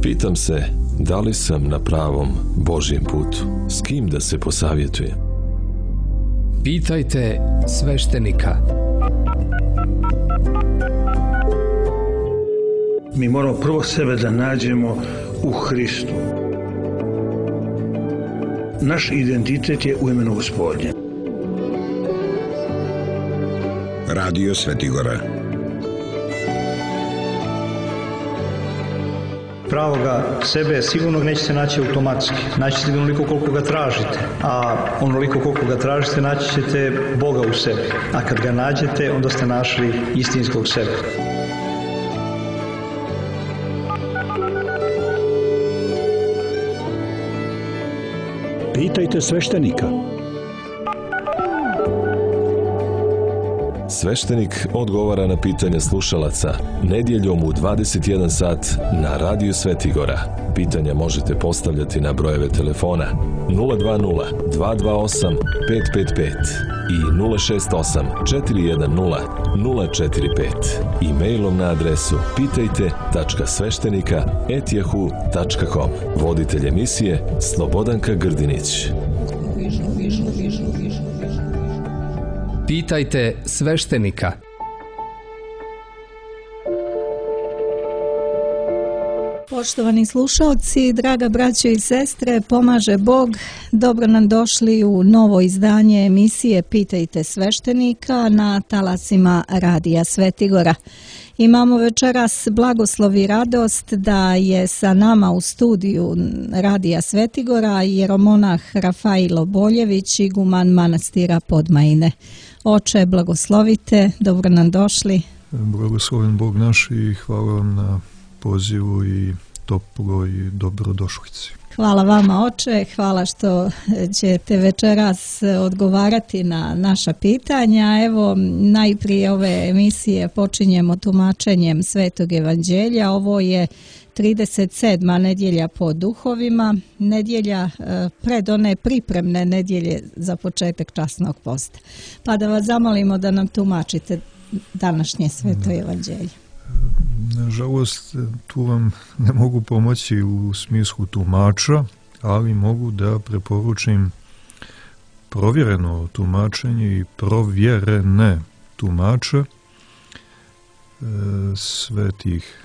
Pitam se, da li sam na pravom Božjem putu? S kim da se posavjetujem? Pitajte sveštenika. Mi moramo prvo sebe da nađemo u Hristu. Naš identitet je u imenu Gospodnje. Radio Svetigora. Pravoga sebe sigurno nećete naći automatski. Naći ćete onoliko koliko ga tražite. A onoliko koliko ga tražite naći ćete Boga u sebi. A kad ga nađete, onda ste našli istinskog sebe. Pitajte sveštenika. Sveštenik odgovara na pitanja slušalaca nedjeljom u 21 sat na Radio Svetigora. Pitanja možete postavljati na brojeve telefona 020 228 555 i 068 410 045 i mailom na adresu pitajte.sveštenika@yahoo.com. Voditelj emisije Slobodanka Grdinić. Pitajte sveštenika. Poštovani slušalci, draga braćo i sestre, pomaže Bog. Dobro nam došli u novo izdanje emisije Pitajte sveštenika na talasima Radija Svetigora. Imamo večeras blagoslov i radost da je sa nama u studiju Radija Svetigora jeromonah Rafailo Boljević, iguman manastira Podmajine. Oče, blagoslovite, dobro nam došli. Blagosloven Bog naš i hvala vam na pozivu i toploj dobrodošlici. Hvala vama, oče, hvala što ćete večeras odgovarati na naša pitanja. Evo, najprije ove emisije počinjemo tumačenjem Svetog evanđelja. Ovo je 37. nedjelja po duhovima, nedjelja pred one pripremne nedjelje za početak časnog posta. Pa da vas zamolimo da nam tumačite današnje Sveto evanđelje. Nažalost, tu vam ne mogu pomoći u smislu tumača, ali mogu da preporučim provjereno tumačenje i provjerene tumače svetih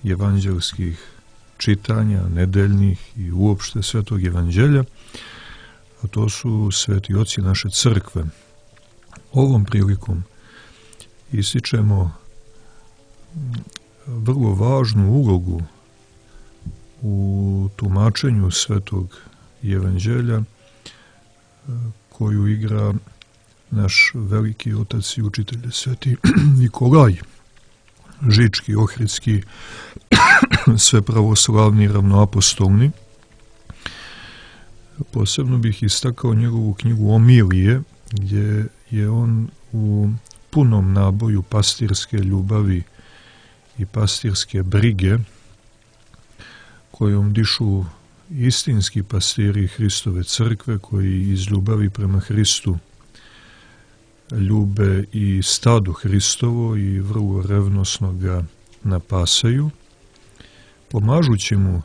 evanđelskih čitanja, nedeljnih i uopšte Svetog evanđelja, a to su sveti oci naše crkve. Ovom prilikom ističemo vrlo važnu ulogu u tumačenju Svetog evanđelja koju igra naš veliki otac i učitelj Sveti Nikolaj Žički, Ohridski, svepravoslavni, ravnoapostolni. Posebno bih istakao njegovu knjigu Omilije, gdje je on u punom naboju pastirske ljubavi i pastirske brige kojom dišu istinski pastiri Hristove crkve, koji iz ljubavi prema Hristu ljube i stado Hristovo i vrlo revnosno ga napasaju, pomažući mu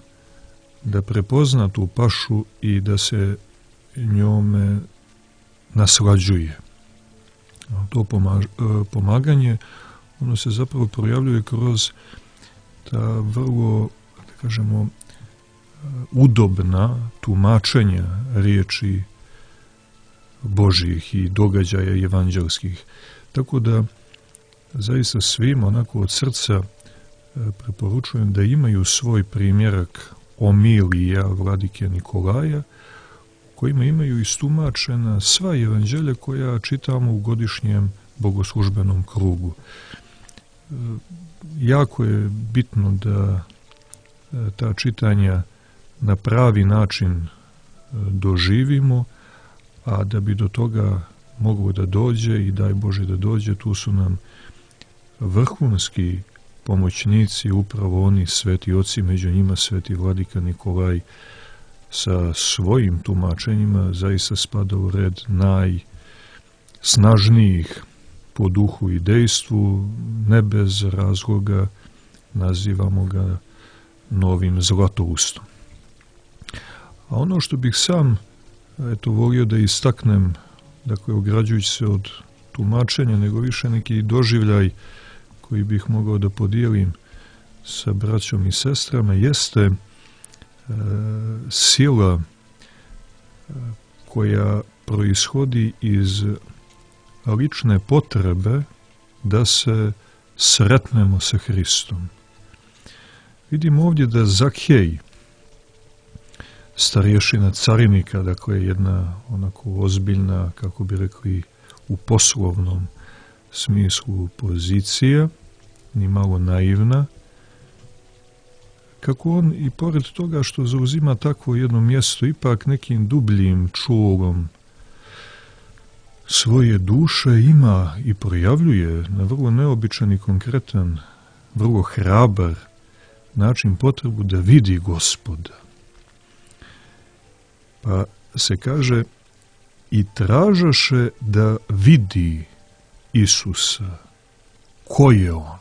da prepozna tu pašu i da se njome naslađuje. To pomaganje, ono se zapravo projavljuje kroz ta vrlo, da kažemo, udobna tumačenja riječi Božjih i događaja evanđelskih. Tako da zaista svim onako od srca preporučujem da imaju svoj primjerak Omilija vladike Nikolaja, kojima imaju istumačena sva evanđelja koja čitamo u godišnjem bogoslužbenom krugu. Jako je bitno da ta čitanja na pravi način doživimo, a da bi do toga moglo da dođe i daj Bože da dođe, tu su nam vrhunski pomoćnici, upravo oni sveti oci, među njima sveti vladika Nikolaj sa svojim tumačenjima zaista spada u red najsnažnijih po duhu i dejstvu, ne bez razloga nazivamo ga novim Zlatoustom. A ono što bih sam volio da istaknem, dakle, ograđujući se od tumačenja, nego više neki doživljaj koji bih mogao da podijelim sa braćom i sestrama, jeste sila koja proishodi iz lične potrebe da se sretnemo sa Hristom. Vidimo ovdje da Zakhej, starješina carinika, dakle jedna onako ozbiljna, kako bi rekli u poslovnom smislu, pozicija, ni malo naivna, kako on i pored toga što zauzima takvo jedno mjesto, ipak nekim dubljim čulom svoje duše ima i projavljuje na vrlo neobičan i konkretan, vrlo hrabar način potrebu da vidi Gospoda. Pa se kaže, i tražaše da vidi Isusa. Ko je on?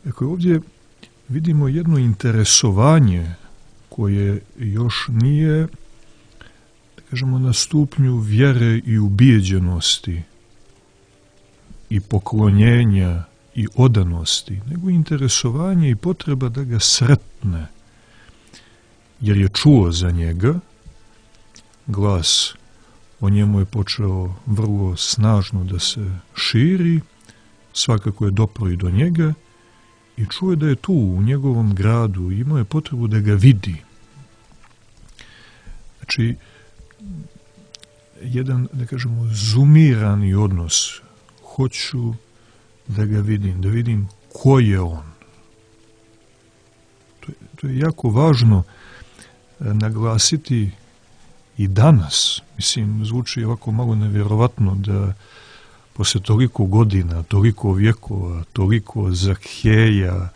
Dakle, ovdje vidimo jedno interesovanje koje još nije, da kažemo, na stupnju vjere i ubijeđenosti i poklonjenja i odanosti, nego interesovanje i potreba da ga sretne, jer je čuo za njega, glas o njemu je počeo vrlo snažno da se širi, svakako je dopro i do njega i čuje da je tu u njegovom gradu i imao je potrebu da ga vidi. Znači, jedan, da kažemo, zumirani odnos. Hoću da ga vidim, da vidim ko je on. To je jako važno naglasiti i danas. Mislim, zvuči ovako malo nevjerovatno da posle toliko godina, toliko vjekova, toliko Zakheja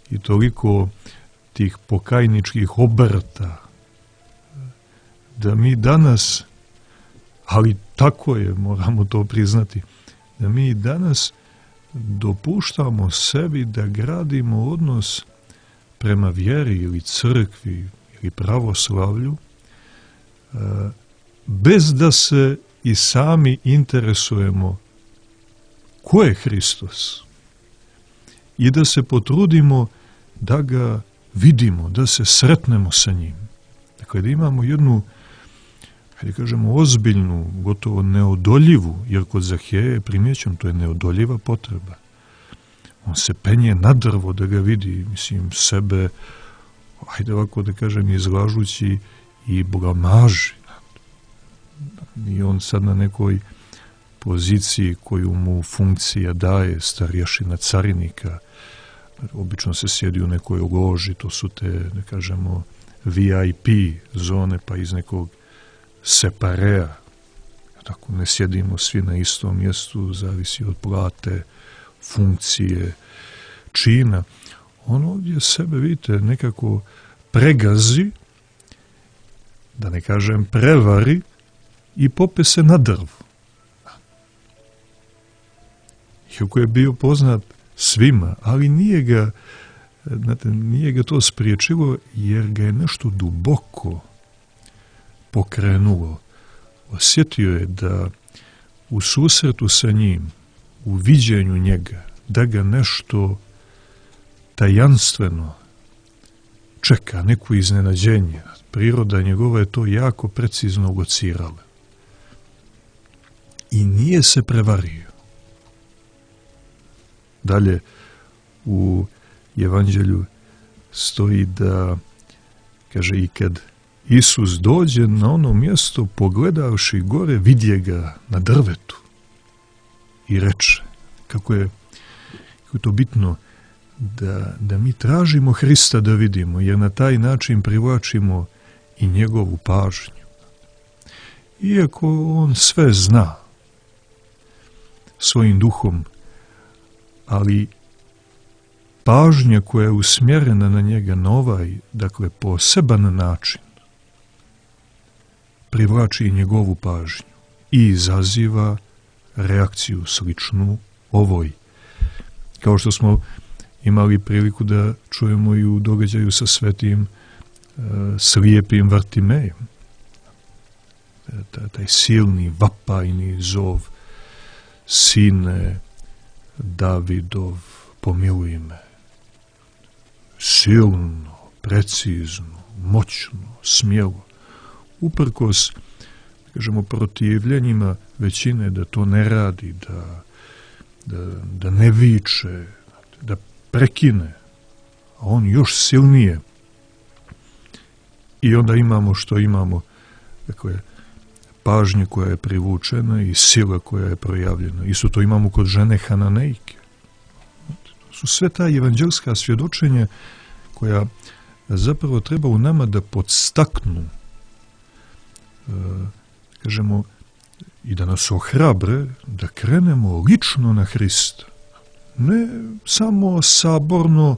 i toliko tih pokajničkih obrta, da mi danas, ali tako je, moramo to priznati, da mi danas dopuštamo sebi da gradimo odnos prema vjeri ili crkvi ili pravoslavlju bez da se i sami interesujemo ko je Hristos i da se potrudimo da ga vidimo, da se sretnemo sa njim. Dakle, da imamo jednu, hajde kažemo, ozbiljnu, gotovo neodoljivu, jer kod Zakheja je primjećen, to je neodoljiva potreba. On se penje na drvo da ga vidi, mislim, sebe, hajde ovako da kažem, izlažući i blamaži. I on sad na nekoj poziciji koju mu funkcija daje, starješina carinika, obično se sjedi u nekoj loži, to su te, da kažemo, VIP zone, pa iz nekog separea. Tako, ne sjedimo svi na istom mjestu, zavisi od plate, funkcije, čina. On ovdje sebe, vidite, nekako pregazi, da ne kažem prevari, i pope se na drvu. Iako je bio poznat svima, ali nije ga to spriječilo, jer ga je nešto duboko pokrenulo. Osjetio je da u susretu sa njim, u viđenju njega, da ga nešto tajanstveno čeka, neko iznenađenje. Priroda njegova je to jako precizno locirala. I nije se prevario. Dalje u Evanđelju stoji da, kaže, i kad Isus dođe na ono mjesto, pogledavši gore, vidje ga na drvetu i reče, kako je to bitno da mi tražimo Hrista da vidimo, jer na taj način privlačimo i njegovu pažnju. Iako on sve zna svojim duhom, ali pažnja koja je usmjerena na njega na ovaj, dakle, poseban način, privlači i njegovu pažnju i izaziva reakciju sličnu ovoj. Kao što smo imali priliku da čujemo i u događaju sa svetim slijepim Vartimejem. Taj silni vapajni zov: Sine Davidov, pomiluj me. Silno, precizno, moćno, smjelo. Uprkos, kažemo, protivljenjima većine da to ne radi, da ne viče, da prekine, a on još silnije. I onda imamo što imamo, dakle, pažnje koja je privučena i sila koja je projavljena. Isto to imamo kod žene Hananejke. To su sve ta evanđelska svjedočenja koja zapravo treba u nama da podstaknu, kažemo, i da nas ohrabre da krenemo lično na Hrista. Ne samo saborno,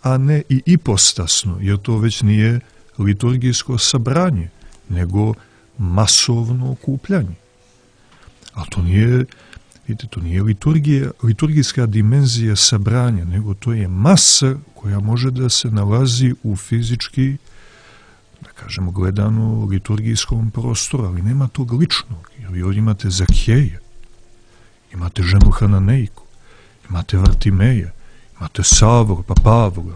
a ne i ipostasno, jer to već nije liturgijsko sabranje, nego masovno okupljanje. A to nije, vidite, to nije liturgijska dimenzija sabranja, nego to je masa koja može da se nalazi u fizički, da kažemo, gledano liturgijskom prostoru, ali nema tog ličnog. Jer vi ovdje imate Zakheja, imate ženu Hananejku, imate Vartimeja, imate Savora, pa Pavla,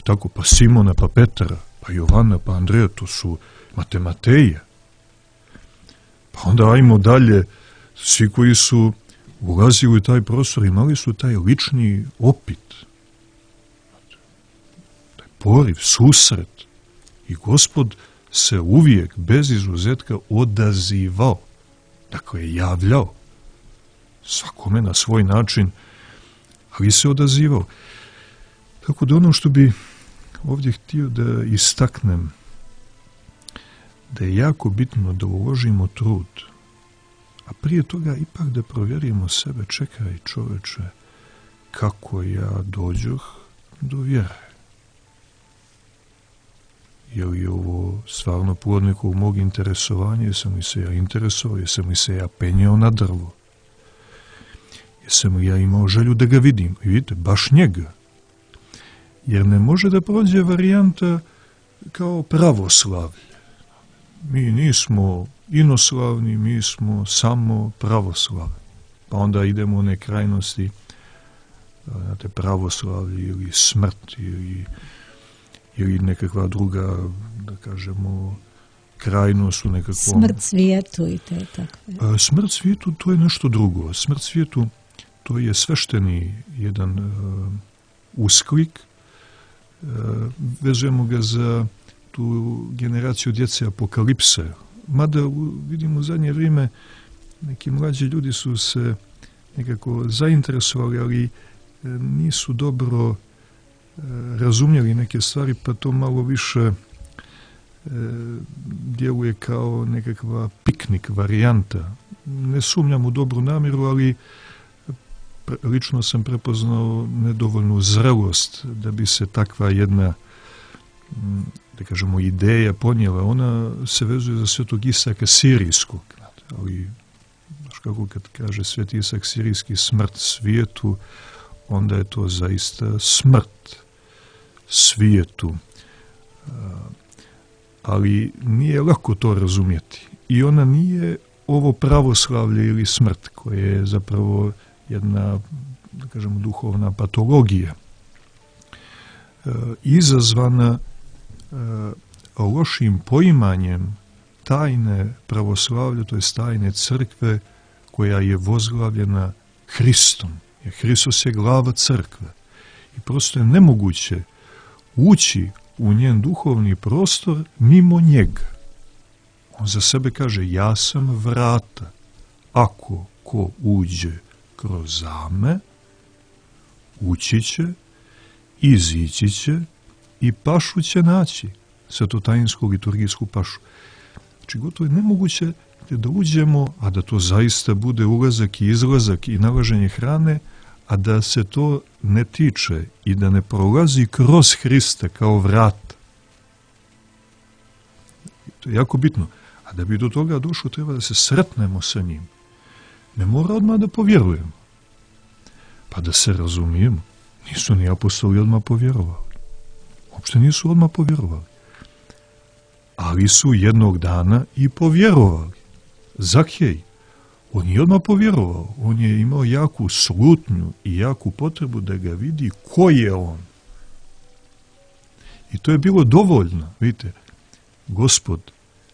tako, pa Simona, pa Petra, pa Jovana, pa Andreja, to su, imate Mateja. Pa onda ajmo dalje, svi koji su ulazili u taj prostor imali su taj lični opit, taj poriv, susret. I Gospod se uvijek, bez izuzetka, odazivao, dakle javljao, svakome na svoj način, ali se odazivao. Tako da ono što bi ovdje htio da istaknem, da je jako bitno da uložimo trud, a prije toga ipak da provjerimo sebe: čekaj čoveče, kako ja dođoh do vjere? Je li ovo stvarno plod nekog mog interesovanja? Jesam li se ja interesovao? Jesam li se ja penjao na drvo? Jesam li ja imao želju da ga vidim? I vidite, baš njega. Jer ne može da prođe varijanta kao pravoslavlje. Mi nismo inoslavni, mi smo samo pravoslavni. Pa onda idemo u one krajnosti, znate, pravoslavlje ili smrt ili nekakva druga, da kažemo, krajnost u nekakvom... Smrt svijetu i te takve. Smrt svijetu, to je nešto drugo. Smrt svijetu, to je svešteni jedan usklik. Vezujemo ga za tu generaciju djece apokalipse. Mada vidimo u zadnje vrijeme neki mlađi ljudi su se nekako zainteresovali, ali nisu dobro razumjeli neke stvari, pa to malo više djeluje kao nekakva piknik varijanta. Ne sumnjam u dobru namjeru, ali lično sam prepoznao nedovoljnu zrelost da bi se takva jedna, da kažemo, ideja ponijela. Ona se vezuje za svetog Isaka Sirijskog, ali kako kad kaže sveti Isak Sirijski smrt svijetu, onda je to zaista smrt svijetu. Ali nije lako to razumjeti. I ona nije ovo pravoslavlje ili smrt, koje je zapravo jedna, da kažemo, duhovna patologija, izazvana lošim poimanjem tajne pravoslavlja, to je tajne crkve koja je vozglavljena Hristom. Jer Hristos je glava crkve. I prosto je nemoguće ući u njen duhovni prostor mimo njega. On za sebe kaže: ja sam vrata. Ako ko uđe kroz me, ući će, izići će i pašu će naći, svetotajinsku liturgijsku pašu. Znači, gotovo je nemoguće da uđemo, a da to zaista bude ulazak i izlazak i nalaženje hrane, a da se to ne tiče i da ne prolazi kroz Hrista kao vrat. To je jako bitno. A da bi do toga došlo, treba da se sretnemo sa njim. Ne mora odmah da povjerujemo, pa da se razumijemo. Nisu ni apostoli odmah povjerovali. Uopšte nisu odmah povjerovali. Ali su jednog dana i povjerovali. Zakhej, on je odmah povjerovao. On je imao jaku slutnju i jaku potrebu da ga vidi ko je on. I to je bilo dovoljno. Vidite, Gospod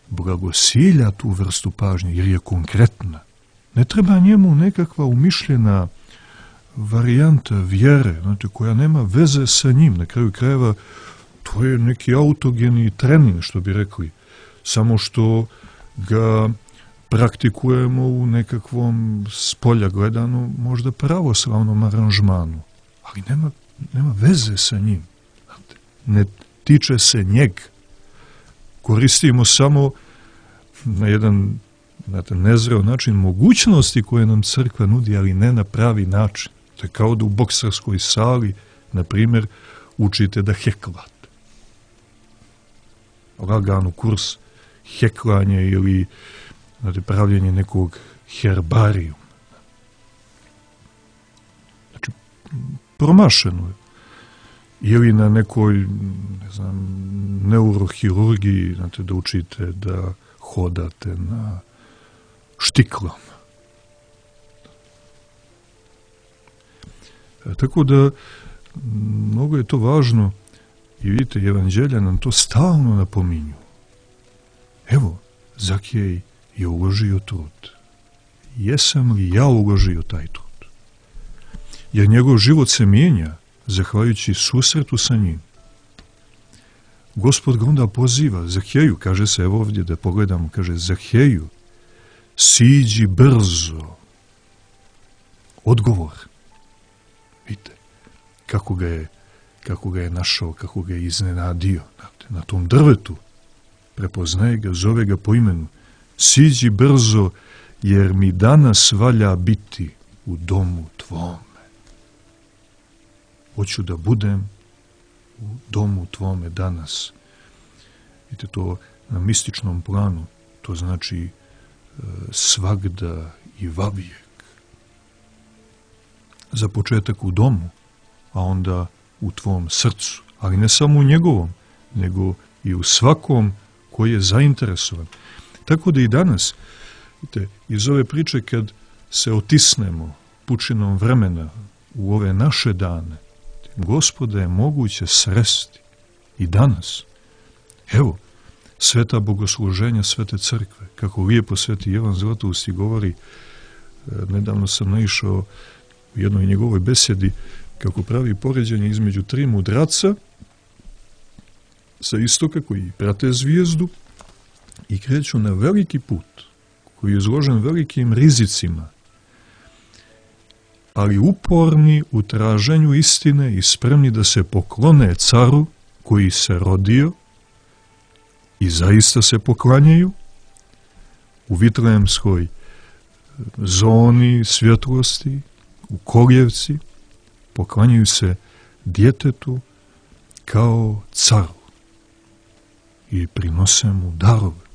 blagosilja tu vrstu pažnje jer je konkretna. Ne treba njemu nekakva umišljena varijanta vjere, znate, koja nema veze sa njim. Na kraju krajeva to je neki autogeni trening, što bi rekli. Samo što ga praktikujemo u nekakvom spolja gledano možda pravoslavnom aranžmanu. Ali nema veze sa njim. Znate, ne tiče se njega. Koristimo samo na jedan nezreo način mogućnosti koje nam crkva nudi, ali ne na pravi način. To je kao da u boksarskoj sali, na primjer, učite da heklate. Lagano kurs heklanja ili pravljenje nekog herbarijuma. Znači, promašeno je. Ili na nekoj, neurohirurgiji, znate, da učite da hodate na štiklama. Tako da, mnogo je to važno i vidite, evanđelja nam to stalno napominju. Evo, Zakhej je uložio trud. Jesam li ja uložio taj trud? Jer njegov život se mijenja zahvaljujući susretu sa njim. Gospod ga onda poziva, Zakheju, kaže se, evo ovdje da pogledamo, kaže, Zakheju, siđi brzo. Odgovor. Vidite, kako ga je našao, kako ga je iznenadio. Na tom drvetu prepoznaje ga, zove ga po imenu. Siđi brzo, jer mi danas valja biti u domu tvome. Hoću da budem u domu tvome danas. Vidite, to na mističnom planu, to znači svagda i vavijek. Za početak u domu, a onda u tvom srcu. Ali ne samo u njegovom, nego i u svakom koji je zainteresovan. Tako da i danas, vidite, iz ove priče kad se otisnemo pučinom vremena u ove naše dane, Gospoda je moguće sresti i danas. Evo, sveta bogosluženja Svete crkve, kako lijepo Sveti Ivan Zlatoust govori, nedavno sam naišao u jednoj njegovoj besedi, kako pravi poređenje između tri mudraca sa istoka koji prate zvijezdu i kreću na veliki put koji je izložen velikim rizicima, ali uporni u traženju istine i spremni da se poklone caru koji se rodio i zaista se poklanjaju u Vitlejemskoj zoni svjetlosti, u Koljevci, poklanjaju se djetetu kao caru i prinose mu darove.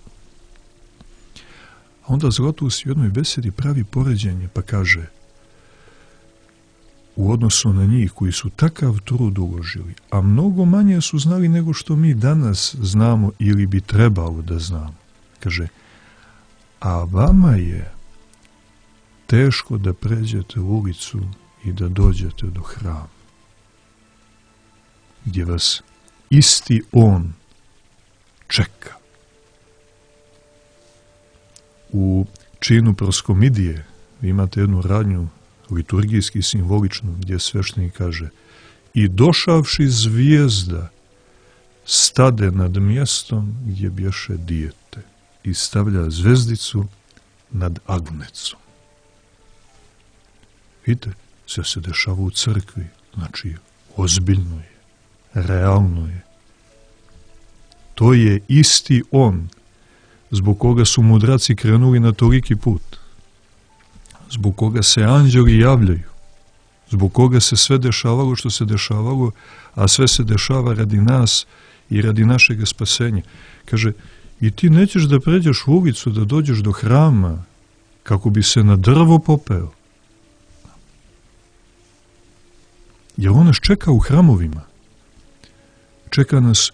A onda Zlatoust u jednoj besedi pravi poređenje pa kaže, u odnosu na njih koji su takav trud uložili, a mnogo manje su znali nego što mi danas znamo ili bi trebalo da znamo. Kaže, a vama je teško da pređete u ulicu i da dođete do hrama, gdje vas isti on čeka. U činu proskomidije vi imate jednu radnju liturgijski simboličnu, gdje sveštenik kaže, i došavši zvijezda stade nad mjestom gdje bješe dijete i stavlja zvezdicu nad agnecom. Vidite, sve se dešava u crkvi, znači ozbiljno je, realno je. To je isti on zbog koga su mudraci krenuli na toliki put, zbog koga se anđeli javljaju, zbog koga se sve dešavalo što se dešavalo, a sve se dešava radi nas i radi našeg spasenja. Kaže, i ti nećeš da pređeš u ulicu, da dođeš do hrama, kako bi se na drvo popeo. Jer on nas čeka u hramovima. Čeka nas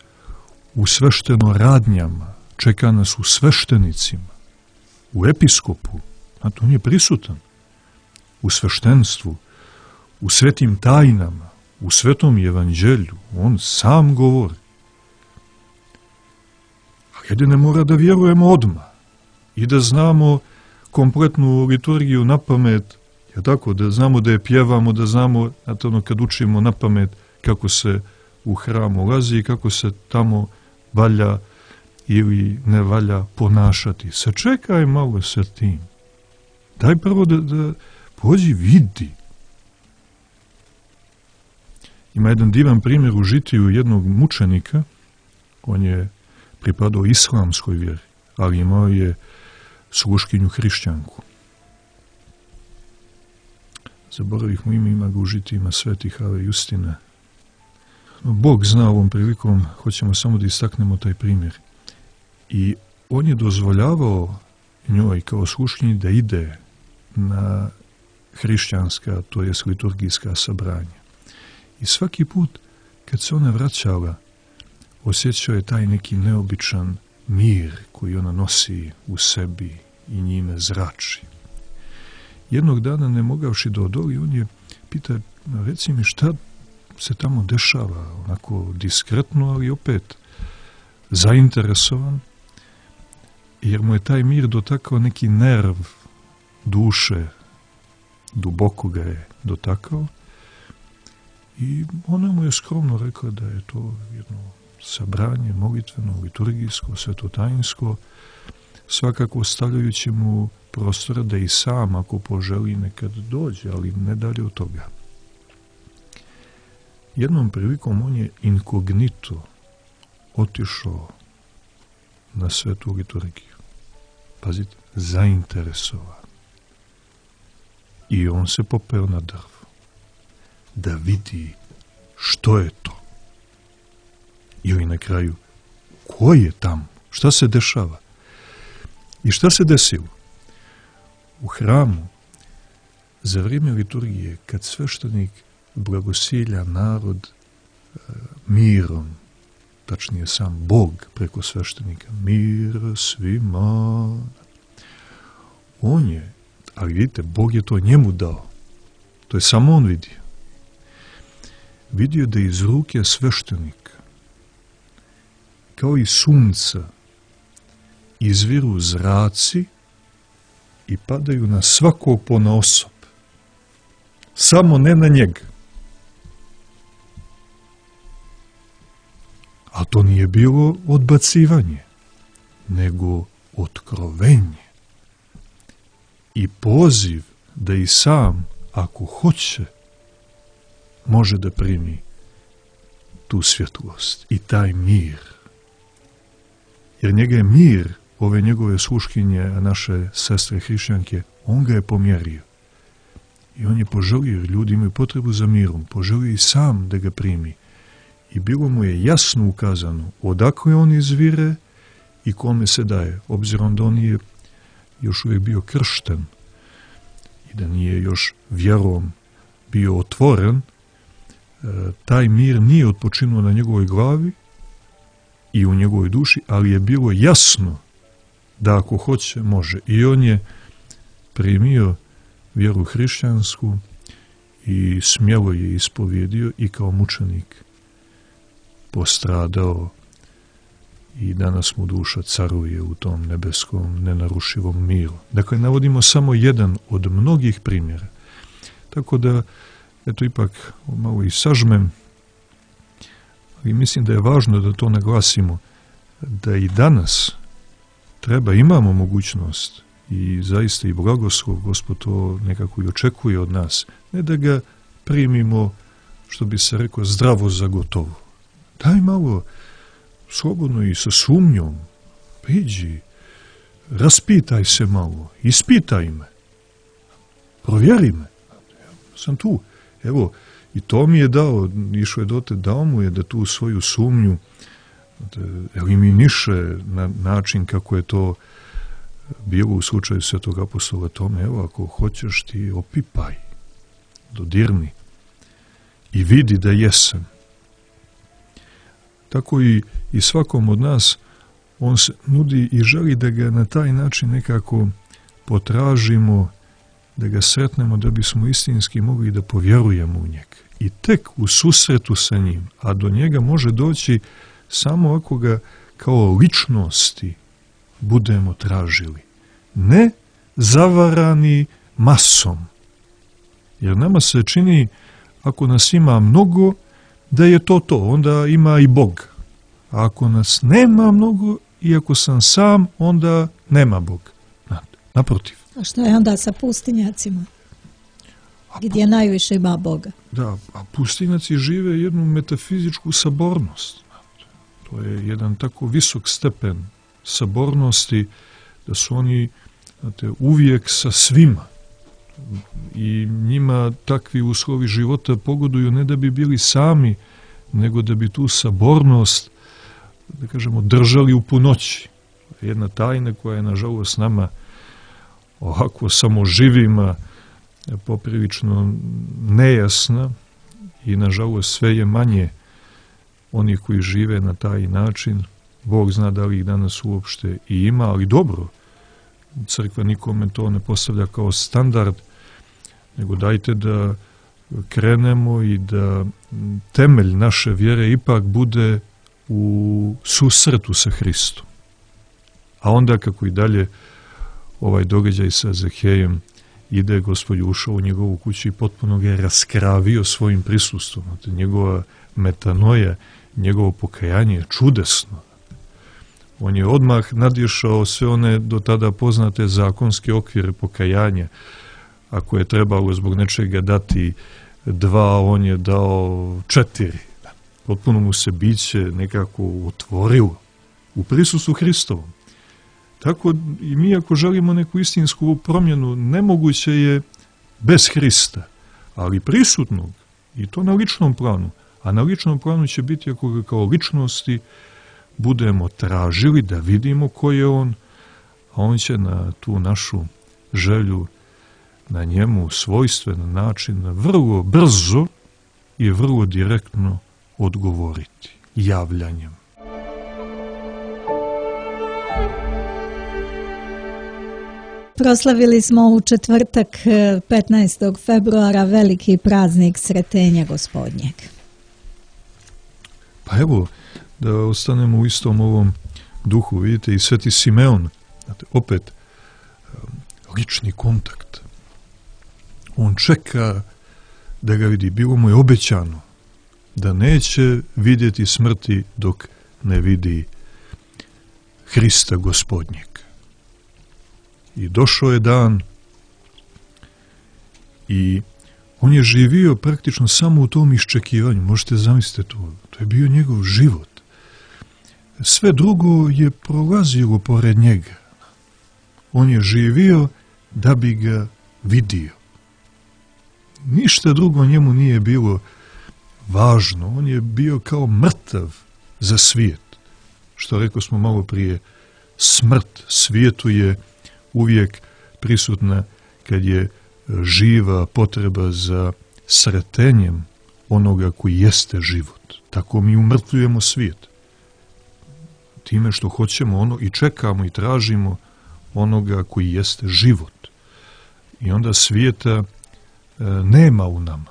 u sveštenoradnjama, čeka nas u sveštenicima, u episkopu, znate, on je prisutan, u sveštenstvu, u svetim tajnama, u svetom evanđelju, on sam govori. A jedine mora da vjerujemo odmah i da znamo kompletnu liturgiju na pamet, je tako, da znamo da je pjevamo, da znamo, znate, ono, kad učimo na pamet kako se u hram ulazi i kako se tamo valja ili ne valja ponašati. Sačekaj malo sa tim. Daj prvo da pođi vidi. Ima jedan divan primjer u žitiju jednog mučenika. On je pripadao islamskoj vjeri, ali imao je sluškinju hrišćanku. Zaboravih mu ime, ima ga u žitijima svetih Ave Justina. No, Bog zna ovom prilikom, hoćemo samo da istaknemo taj primjer. I on je dozvoljavao njoj kao sluškinji da ide na hrišćanska, to jest liturgijska sabranja. I svaki put kad se ona vraćala, osjećao je taj neki neobičan mir koji ona nosi u sebi i njime zrači. Jednog dana, ne mogavši da odoli, on je pita, reci mi šta se tamo dešava, onako diskretno, ali opet zainteresovan, jer mu je taj mir dotakao neki nerv duše, duboko ga je dotakao, i ona mu je skromno rekla da je to jedno sabranje molitveno, liturgijsko, svetotajinsko, svakako ostavljajući mu prostora da i sam, ako poželi, nekad dođe, ali ne dalje od toga. Jednom prilikom on je inkognito otišao na svetu liturgiju. Pazite, zainteresovan. I on se popeo na drvo da vidi što je to. Ili na kraju, ko je tamo? Šta se dešava? I šta se desilo? U hramu, za vrijeme liturgije, kad sveštenik blagosilja narod mirom, tačnije sam Bog preko sveštenika, mir svima, on je, ali vidite, Bog je to njemu dao. To je samo on vidio. Vidio da iz ruke sveštenika, kao i sunca, izviru zraci i padaju na svakog ponaosob. Samo ne na njega. A to nije bilo odbacivanje, nego otkrovenje. I poziv da i sam, ako hoće, može da primi tu svjetlost i taj mir. Jer njega je mir, ove njegove sluškinje, naše sestre hrišćanke, on ga je pomjerio. I on je poželio, jer ljudi imaju potrebu za mirom, poželio i sam da ga primi. I bilo mu je jasno ukazano odakle on izvire i kome se daje, obzirom da on je još uvijek bio kršten i da nije još vjerom bio otvoren, taj mir nije otpočinuo na njegovoj glavi i u njegovoj duši, ali je bilo jasno da ako hoće, može. I on je primio vjeru hrišćansku i smjelo je ispovjedio i kao mučenik postradao i danas mu duša caruje u tom nebeskom nenarušivom miru. Dakle, navodimo samo jedan od mnogih primjera. Tako da, eto, ipak malo i sažmem, ali mislim da je važno da to naglasimo, da i danas imamo mogućnost i zaista i blagoslov, Gospod to nekako i očekuje od nas, ne da ga primimo, što bi se rekao, zdravo za gotovo. Daj malo, slobodno i sa sumnjom, priđi, raspitaj se malo, ispitaj me, provjeri me. Ja sam tu. Evo, i to mi je dao, išao je dote, dao mu je da tu svoju sumnju eliminiše na način kako je to bilo u slučaju svetog apostola Tome. Evo, ako hoćeš ti opipaj, dodirni. i vidi da jesam. Tako i svakom od nas on se nudi i želi da ga na taj način nekako potražimo, da ga sretnemo, da bismo istinski mogli da povjerujemo u njega. I tek u susretu sa njim, a do njega može doći samo ako ga kao ličnosti budemo tražili. Ne zavarani masom. Jer nama se čini, ako nas ima mnogo, da je to, onda ima i Bog. A ako nas nema mnogo, i ako sam sam, onda nema Bog. Naprotiv. A što je onda sa pustinjacima? Gdje najviše ima Boga? Da, a pustinjaci žive jednu metafizičku sabornost. To je jedan tako visok stepen sabornosti da su oni, znate, uvijek sa svima. I njima takvi uslovi života pogoduju ne da bi bili sami, nego da bi tu sabornost, da kažemo, držali u punoći. Jedna tajna koja je, nažalost, nama ovako samoživima poprilično nejasna i, nažalost, sve je manje onih koji žive na taj način. Bog zna da li ih danas uopšte i ima, ali dobro, crkva nikome to ne postavlja kao standard, nego dajte da krenemo i da temelj naše vjere ipak bude u susretu sa Hristom. A onda, kako i dalje ovaj događaj sa Zahejem ide, Gospod ušao u njegovu kuću i potpuno ga je raskravio svojim prisustvom. Njegova metanoja, njegovo pokajanje je čudesno. On je odmah nadišao sve one do tada poznate zakonske okvire pokajanja. Ako je trebalo zbog nečega dati 2, on je dao 4. Potpuno mu se biće nekako otvorilo u prisustvu Hristovom. Tako i mi, ako želimo neku istinsku promjenu, nemoguće je bez Hrista, ali prisutnog, i to na ličnom planu. A na ličnom planu će biti, ako ga kao ličnosti budemo tražili da vidimo ko je on, a on će na tu našu želju, na njemu svojstven način, vrlo brzo i vrlo direktno odgovoriti javljanjem. Proslavili smo u četvrtak 15. februara veliki praznik Sretenja Gospodnjeg. Pa evo, da ostanemo u istom ovom duhu, vidite, i Sveti Simeon, opet lični kontakt. On čeka da ga vidi. Bilo mu je obećano da neće vidjeti smrti dok ne vidi Hrista Gospodnjeg. I došao je dan i on je živio praktično samo u tom iščekivanju. Možete zamisliti to. To je bio njegov život. Sve drugo je prolazilo pored njega. On je živio da bi ga vidio. Ništa drugo njemu nije bilo važno. On je bio kao mrtav za svijet. Što rekao smo malo prije, smrt svijetu je uvijek prisutna kad je živa potreba za sretenjem onoga koji jeste život. Tako mi umrtvujemo svijet. Time što hoćemo ono i čekamo i tražimo onoga koji jeste život. I onda svijeta nema u nama.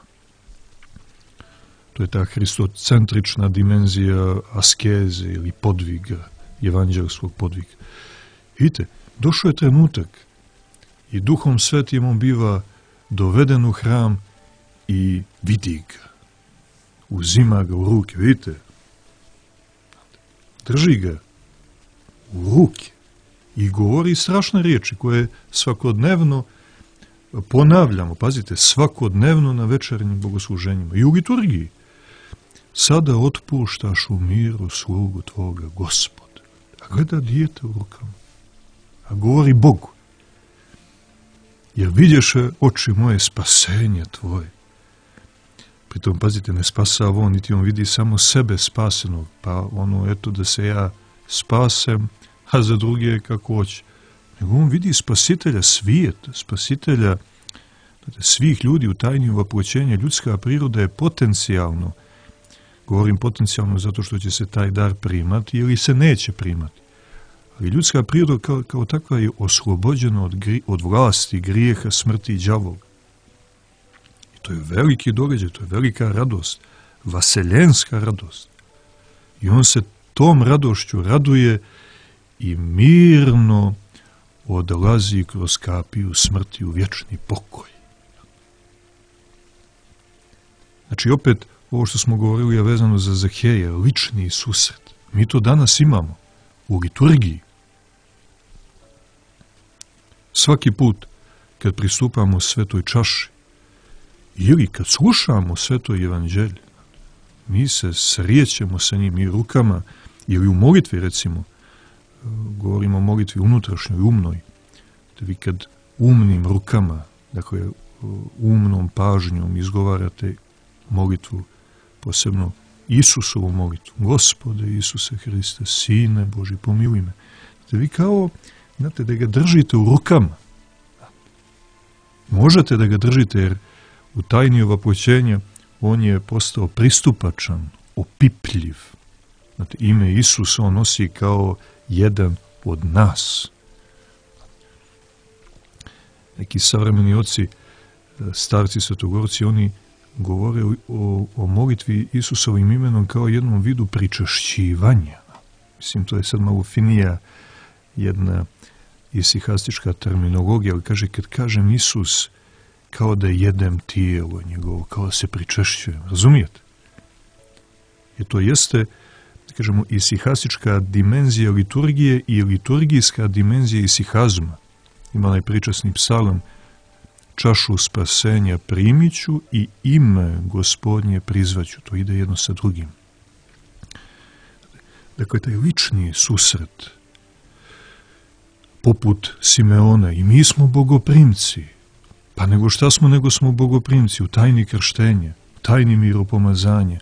To je ta hristocentrična dimenzija askeze ili podviga, evanđelskog podviga. Vidite, došao je trenutak i Duhom Svetim on biva doveden u hram i vidi ga. Uzima ga u ruke, vidite. Drži ga u ruke i govori strašne riječi koje svakodnevno ponavljamo. Pazite, svakodnevno na večernjim bogosluženjima i u liturgiji. Sada otpuštaš u miru slugu tvoga, Gospode. A gleda dijete u rukama. A govori Bogu. Jer vidješe, oči moje, spasenje tvoje. Pritom, pazite, ne spasava on, niti on vidi samo sebe spasenog. Pa ono, eto, da se ja spasem, a za druge kako hoće. Nego on vidi spasitelja svijeta, spasitelja, svih ljudi u tajni uvapućenja. Ljudska priroda je potencijalno, govorim potencijalno zato što će se taj dar primati ili se neće primati. Ali ljudska priroda kao takva je oslobođena od vlasti, grijeha, smrti i đavola. I to je veliki događaj, to je velika radost, vaseljenska radost. I on se tom radošću raduje i mirno odlazi kroz kapiju smrti u vječni pokoj. Znači opet ovo što smo govorili je vezano za Zaheja, lični susret. Mi to danas imamo u liturgiji. Svaki put kad pristupamo svetoj čaši ili kad slušamo sveto evanđelje, mi se srijećemo sa njim i rukama ili u molitvi, recimo, govorimo o molitvi unutrašnjoj, umnoj, da vi kad umnim rukama, dakle umnom pažnjom izgovarate molitvu, posebno Isusovu molitvu, Gospode Isuse Hriste, Sine Boži, pomiluj me, da vi kao, znate, da ga držite u rukama. Možete da ga držite jer u tajni ovapućenja on je postao pristupačan, opipljiv. Znate, ime Isus on nosi kao jedan od nas. Neki savremeni oci, starci svetogorci, oni govore o molitvi Isusovim imenom kao jednom vidu pričašćivanja. Mislim, to je sad malo finija jedna isihastička terminologija, ali kaže, kad kažem Isus, kao da jedem tijelo njegovo, kao da se pričešćujem. Razumijete? I to jeste, da kažemo, isihastička dimenzija liturgije i liturgijska dimenzija isihazma. Ima onaj pričasni psalam, čašu spasenja primiću i ime Gospodnje prizvaću. To ide jedno sa drugim. Dakle, taj lični susret, poput Simeona, i mi smo bogoprimci. Pa nego šta smo, nego smo bogoprimci u tajni krštenja, u tajni miropomazanja,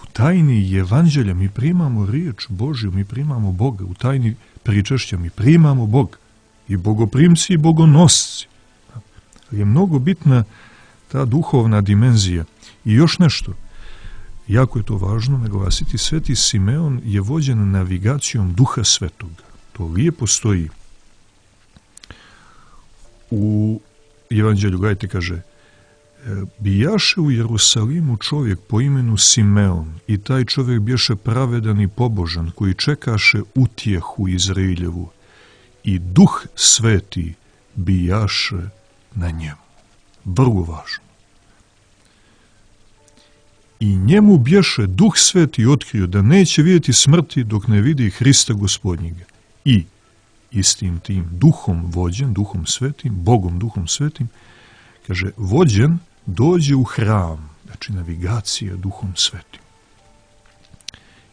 u tajni evanđelja. Mi primamo riječ Božju, mi primamo Boga, u tajni pričašća mi primamo Boga. I bogoprimci i bogonosci. Ali je mnogo bitna ta duhovna dimenzija. I još nešto, jako je to važno naglasiti, sveti Simeon je vođen navigacijom Duha Svetoga. To lijepo stoji u Evanđelju. Gledajte, kaže, bijaše u Jerusalimu čovjek po imenu Simeon i taj čovjek bješe pravedan i pobožan koji čekaše utjehu Izrailjevu i Duh Sveti bijaše na njemu. Vrlo važno. I njemu bješe Duh Sveti otkrio da neće vidjeti smrti dok ne vidi Hrista Gospodnjega. I istim tim duhom vođen, Duhom Svetim, Bogom Duhom Svetim, kaže, vođen dođe u hram, znači navigacija Duhom Svetim.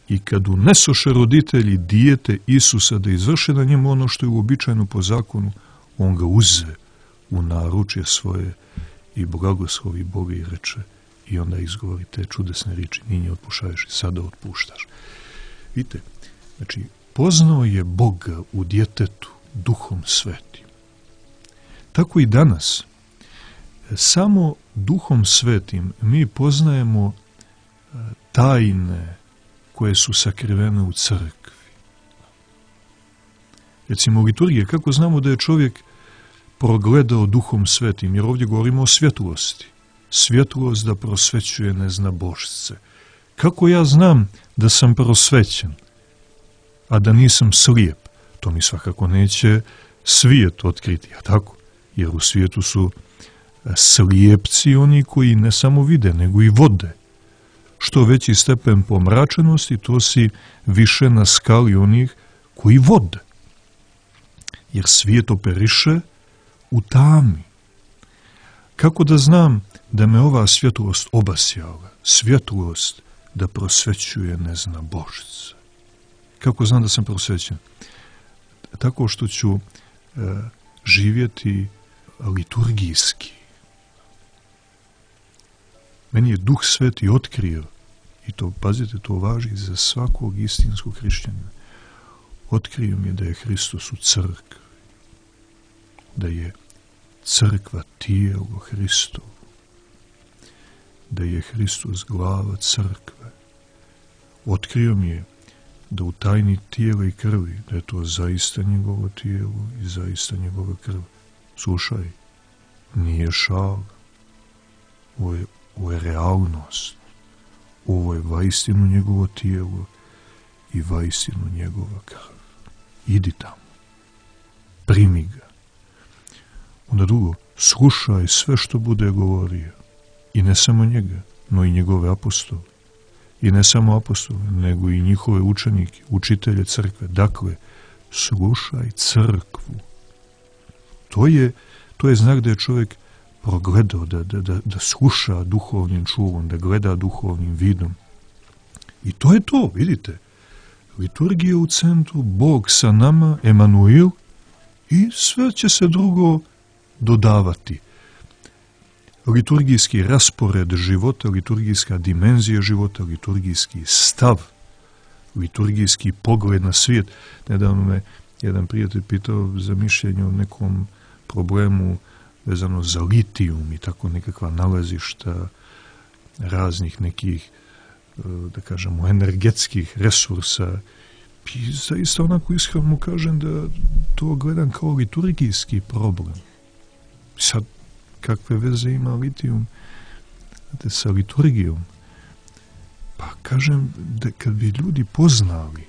I kad unesoše roditelji dijete Isusa da izvrše na njemu ono što je uobičajeno po zakonu, on ga uze u naručje svoje i blagoslovi Boga i reče, i onda izgovori te čudesne riječi, ninje otpušaješ i sada otpuštaš. Vidite, znači, poznao je Boga u djetetu Duhom Svetim. Tako i danas. Samo Duhom Svetim mi poznajemo tajne koje su sakrivene u crkvi. Recimo u liturgiji, kako znamo da je čovjek progledao Duhom Svetim, jer ovdje govorimo o svjetlosti. Svjetlost da prosvećuje neznabošce. Kako ja znam da sam prosvećen, a da nisam slijep? To mi svakako neće svijet otkriti, a tako? Jer u svijetu su slijepci oni koji ne samo vide, nego i vode. Što veći stepen pomračenosti, to si više na skali onih koji vode. Jer svijet operiše u tami. Kako da znam da me ova svjetlost obasjala? Svjetlost da prosvećuje neznabošce. Kako znam da sam prosvećen? Tako što ću živjeti liturgijski. Meni je Duh Sveti otkrio, i to, pazite, to važi za svakog istinskog hrišćanina, otkrio mi je da je Hristos u crkvi, da je crkva tijelo Hristovo, da je Hristos glava crkve. Otkrio mi je da u tajni tijela i krvi, da je to zaista njegovo tijelo i zaista njegova krv. Slušaj, nije šal, ovo je realnost, ovo je vaistinu njegovo tijelo i vaistinu njegova krv. Idi tamo, primi ga. Onda drugo, slušaj sve što bude govorio. I ne samo njega, no i njegove apostole. I ne samo apostole, nego i njihove učenike, učitelje crkve. Dakle, slušaj crkvu. To je znak da je čovjek progledao, da sluša duhovnim čulom, da gleda duhovnim vidom. I to je to, vidite. Liturgija u centru, Bog sa nama, Emanuil, i sve će se drugo dodavati. Liturgijski raspored života, liturgijska dimenzija života, liturgijski stav, liturgijski pogled na svijet. Nedavno me jedan prijatelj pitao za mišljenje o nekom problemu vezano za litijum i tako nekakva nalazišta raznih nekih, da kažemo, energetskih resursa. I zaista onako iskreno mu kažem da to gledam kao liturgijski problem. Sad, kakve veze ima litijum sa liturgijom? Pa kažem da kad bi ljudi poznali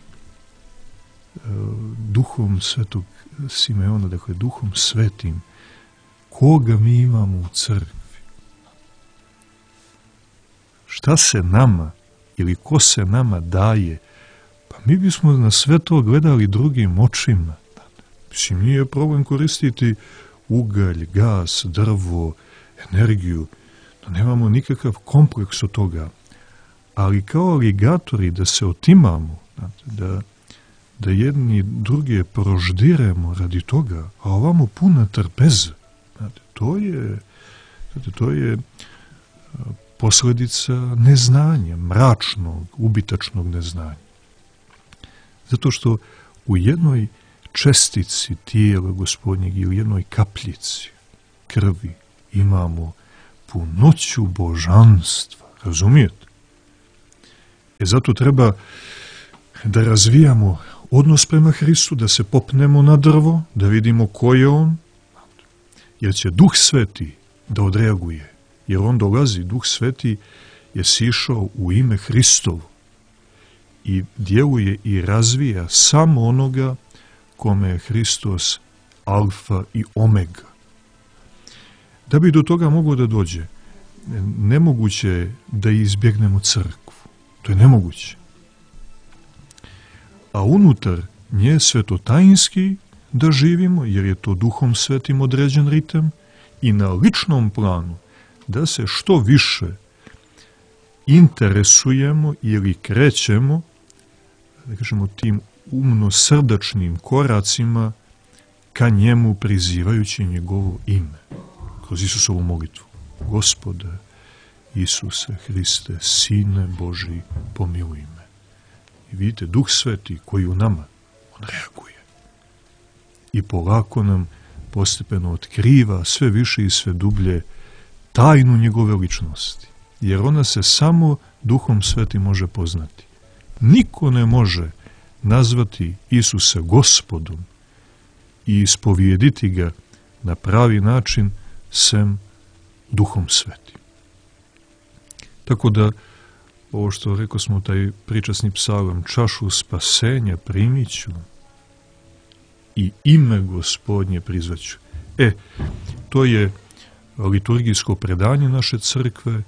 duhom svetog Simeona, dakle duhom svetim, koga mi imamo u crkvi, šta se nama ili ko se nama daje, pa mi bismo na sve to gledali drugim očima. Mislim, nije problem koristiti ugalj, gas, drvo, energiju, da nemamo nikakav kompleks od toga, ali kao aligatori da se otimamo, da jedni druge proždiremo radi toga, a ovamo puna trpeza. To je posljedica neznanja, mračnog, ubitačnog neznanja. Zato što u jednoj čestici tijela Gospodnjeg i u jednoj kapljici krvi imamo punoću božanstva. Razumijete? Zato treba da razvijamo odnos prema Hristu, da se popnemo na drvo, da vidimo ko je on, jer će Duh Sveti da odreaguje. Jer on dolazi, Duh Sveti je sišao u ime Hristovo i djeluje i razvija samo onoga kome je Hristos alfa i omega. Da bi do toga moglo da dođe, nemoguće je da izbjegnemo crkvu. To je nemoguće. A unutar nje svetotajinski da živimo, jer je to Duhom Svetim određen ritam, i na ličnom planu da se što više interesujemo ili krećemo, da kažemo, tim umno-srdačnim koracima ka njemu, prizivajući njegovo ime. Kroz Isusovu molitvu. Gospode Isuse Hriste, Sine Božji, pomiluj me. I vidite, Duh Sveti koji u nama, on reaguje. I polako nam postepeno otkriva sve više i sve dublje tajnu njegove ličnosti. Jer ona se samo Duhom Svetim može poznati. Niko ne može nazvati Isusa Gospodom i ispovijediti ga na pravi način sem Duhom Svetim. Tako da, ovo što rekao smo, taj pričasni psalam, čašu spasenja primit ću i ime Gospodnje prizvaću. To je liturgijsko predanje naše crkve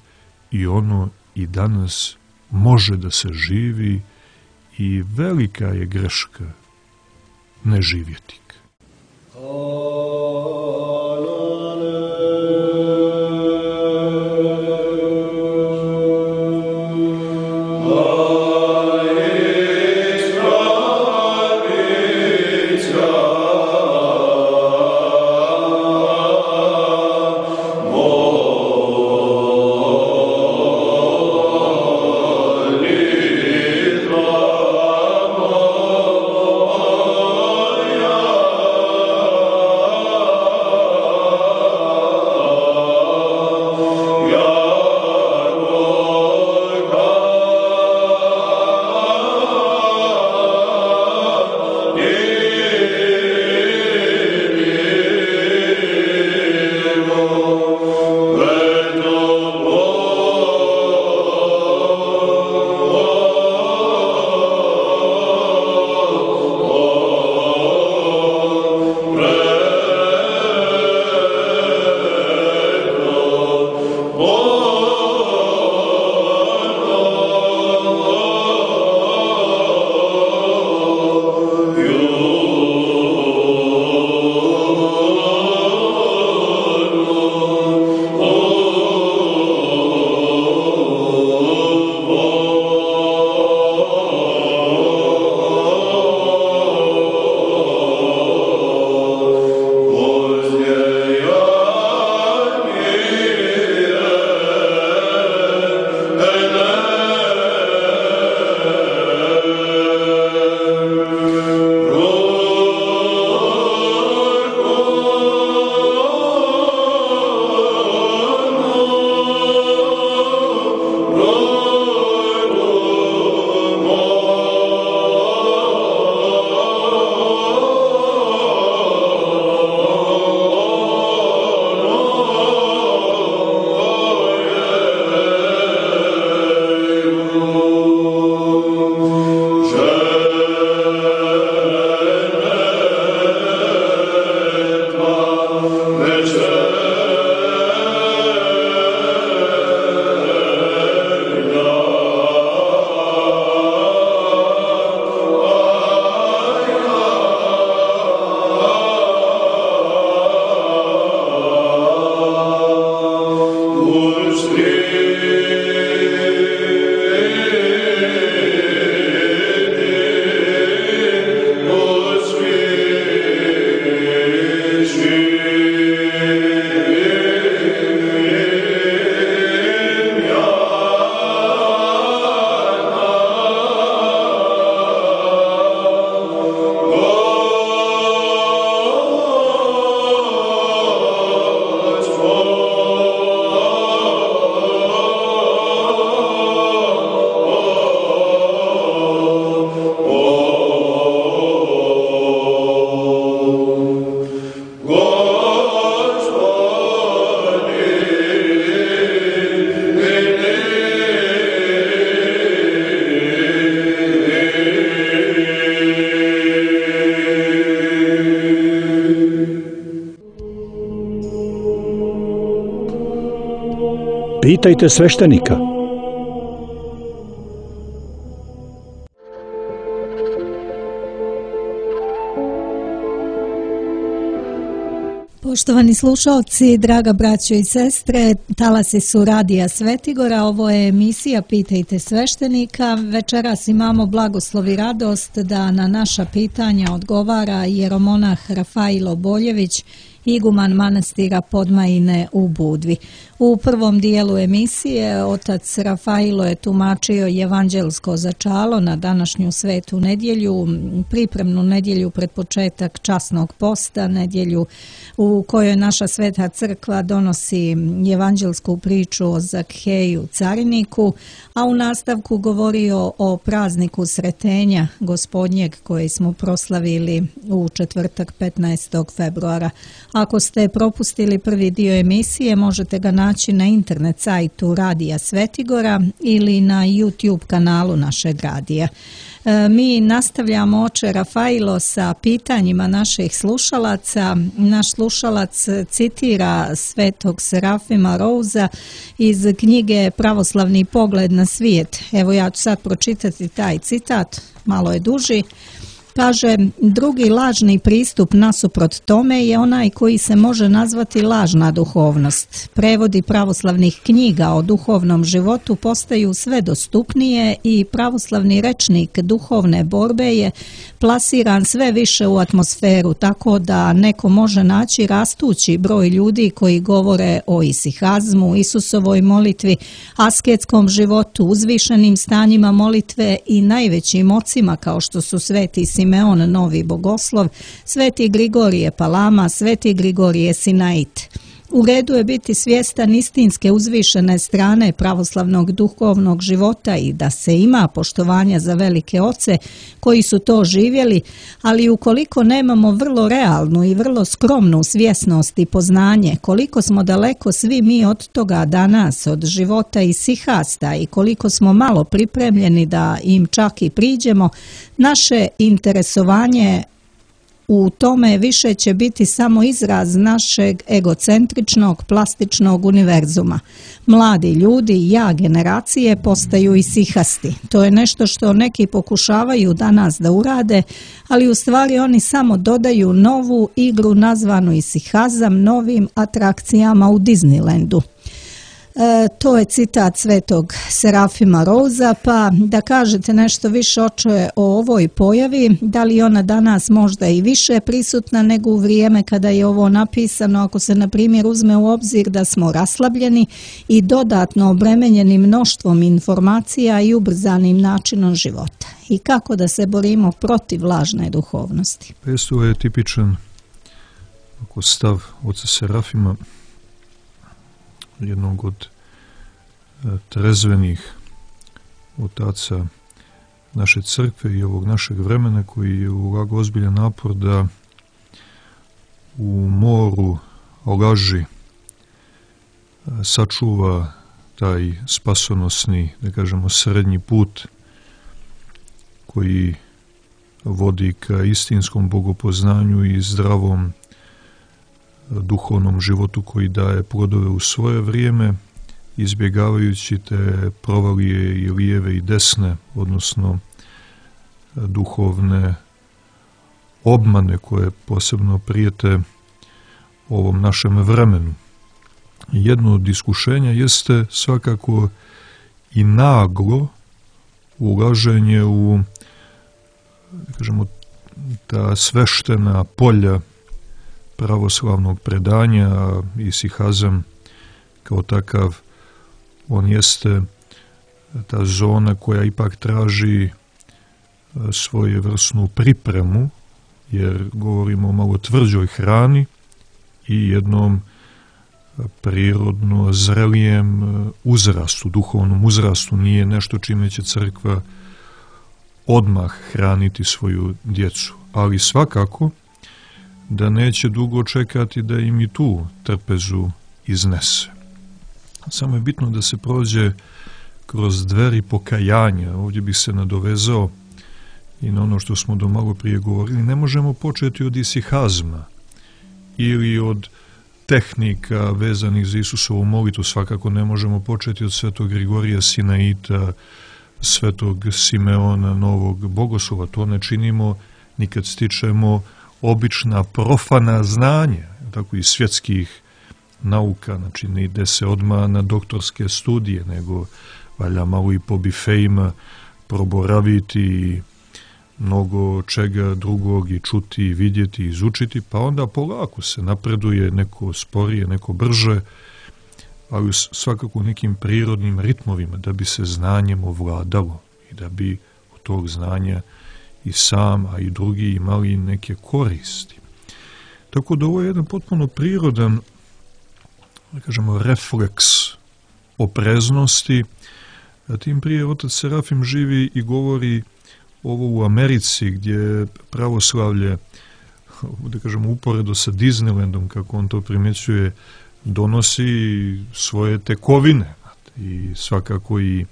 i ono i danas može da se živi i velika je greška ne živjeti. Pitajte sveštenika. Poštovani slušalci, draga braćo i sestre, talasi su Radija Svetigora, ovo je emisija Pitajte sveštenika. Večeras imamo blagoslov i radost da na naša pitanja odgovara jeromonah Rafailo Boljević, iguman manastira Podmajine u Budvi. U prvom dijelu emisije otac Rafailo je tumačio evanđelsko začalo na današnju svetu nedjelju, pripremnu nedjelju pred početak časnog posta, nedjelju u kojoj naša sveta crkva donosi evanđelsku priču o Zakheju cariniku, a u nastavku govorio o prazniku Sretenja Gospodnjeg koji smo proslavili u četvrtak 15. februara. Ako ste propustili prvi dio emisije, možete ga naći na internet sajtu Radija Svetigora ili na YouTube kanalu našeg radija. Mi nastavljamo, oče Rafailo, sa pitanjima naših slušalaca. Naš slušalac citira svetog Serafima Rouza iz knjige Pravoslavni pogled na svijet. Evo ja ću sad pročitati taj citat, malo je duži. Kaže, drugi lažni pristup nasuprot tome je onaj koji se može nazvati lažna duhovnost. Prevodi pravoslavnih knjiga o duhovnom životu postaju sve dostupnije i pravoslavni rečnik duhovne borbe je plasiran sve više u atmosferu, tako da neko može naći rastući broj ljudi koji govore o isihazmu, Isusovoj molitvi, asketskom životu, uzvišenim stanjima molitve i najvećim ocima kao što su sveti Simeon Novi Bogoslov, sveti Grigorije Palama, sveti Grigorije Sinait. U redu je biti svjestan istinske uzvišene strane pravoslavnog duhovnog života i da se ima poštovanja za velike oce koji su to živjeli, ali ukoliko nemamo vrlo realnu i vrlo skromnu svjesnost i poznanje koliko smo daleko svi mi od toga danas, od života i sihasta, i koliko smo malo pripremljeni da im čak i priđemo, naše interesovanje u tome više će biti samo izraz našeg egocentričnog, plastičnog univerzuma. Mladi ljudi, ja generacije, postaju isihasti. To je nešto što neki pokušavaju danas da urade, ali u stvari oni samo dodaju novu igru nazvanu isihazam novim atrakcijama u Disneylandu. To je citat svetog Serafima Rouza, pa da kažete nešto više, oče, o ovoj pojavi, da li ona danas možda i više prisutna nego u vrijeme kada je ovo napisano, ako se na primjer uzme u obzir da smo raslabljeni i dodatno obremenjeni mnoštvom informacija i ubrzanim načinom života, i kako da se borimo protiv lažne duhovnosti. Ovo je tipičan stav oca Serafima, jednog od trezvenih otaca naše crkve i ovog našeg vremena, koji je ulagao ozbiljan napor da u moru laži sačuva taj spasonosni, da kažemo, srednji put koji vodi ka istinskom bogopoznanju i zdravom duhovnom životu koji daje plodove u svoje vrijeme, izbjegavajući te provalije i lijeve i desne, odnosno duhovne obmane koje posebno prijete ovom našem vremenu. jedno od iskušenja jeste svakako i naglo ulaženje u, da kažemo, ta sveštena polja pravoslavnog predanja. Isihazam kao takav, on jeste ta zona koja ipak traži svojevrsnu pripremu, jer govorimo o malo tvrđoj hrani i jednom prirodno zrelijem uzrastu, duhovnom uzrastu. Nije nešto čime će crkva odmah hraniti svoju djecu, ali svakako da neće dugo čekati da im i tu trpezu iznese. Samo je bitno da se prođe kroz dveri pokajanja. Ovdje bi se nadovezao i na ono što smo do malo prije govorili. Ne možemo početi od isihazma ili od tehnika vezanih za Isusovu molitvu. Svakako ne možemo početi od svetog Grigorija Sinaita, svetog Simeona, novog bogoslova. To ne činimo ni kad stičemo obična profana znanja, tako i svjetskih nauka. Znači ne ide se odmah na doktorske studije, nego valja malo i po bifejima proboraviti i mnogo čega drugog i čuti, i vidjeti, i izučiti, pa onda polako se napreduje, neko sporije, neko brže, ali svakako u nekim prirodnim ritmovima, da bi se znanjem ovladalo i da bi od tog znanja i sam, a i drugi imali neke koristi. Tako da ovo je jedan potpuno prirodan, da kažemo, refleks opreznosti. A tim prije otac Serafim živi i govori ovo u Americi, gdje pravoslavlje, da kažemo, uporedo sa Disneylandom, kako on to primjećuje, donosi svoje tekovine. I svakako i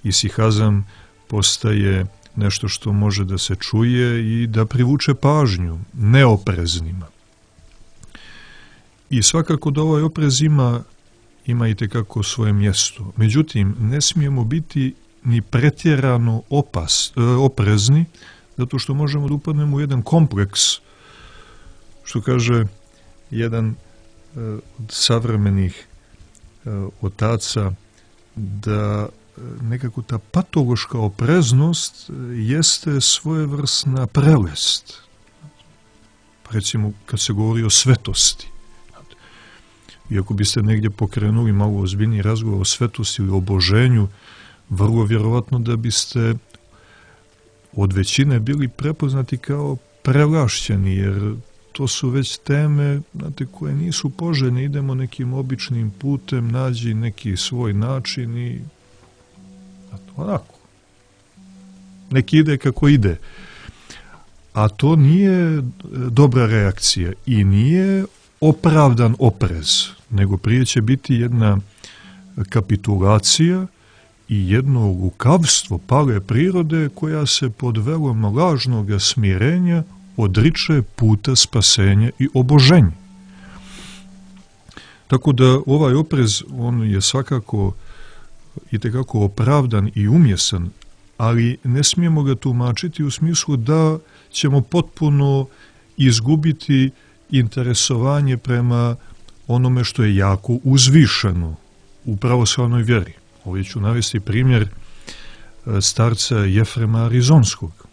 isihazam postaje nešto što može da se čuje i da privuče pažnju neopreznima. I svakako da ovaj oprez ima itekako svoje mjesto. Međutim, ne smijemo biti ni pretjerano oprezni, zato što možemo da upadnemo u jedan kompleks, što kaže jedan od savremenih otaca, da nekako ta patološka opreznost jeste svojevrsna prelest. Recimo, kad se govori o svetosti. Iako biste negdje pokrenuli malo ozbiljniji razgovor o svetosti ili oboženju, vrlo vjerovatno da biste od većine bili prepoznati kao prelašćeni, jer to su već teme, znate, koje nisu poželjne. Idemo nekim običnim putem, nađi neki svoj način i onako. Neki ide kako ide. A to nije dobra reakcija i nije opravdan oprez, nego prije će biti jedna kapitulacija i jedno lukavstvo pale prirode koja se pod velom lažnog smirenja odriče puta spasenja i oboženja. Tako da ovaj oprez, on je svakako itekako opravdan i umjesan, ali ne smijemo ga tumačiti u smislu da ćemo potpuno izgubiti interesovanje prema onome što je jako uzvišeno u pravoslavnoj vjeri. Ovdje ću navesti primjer starca Jefrema Arizonskog.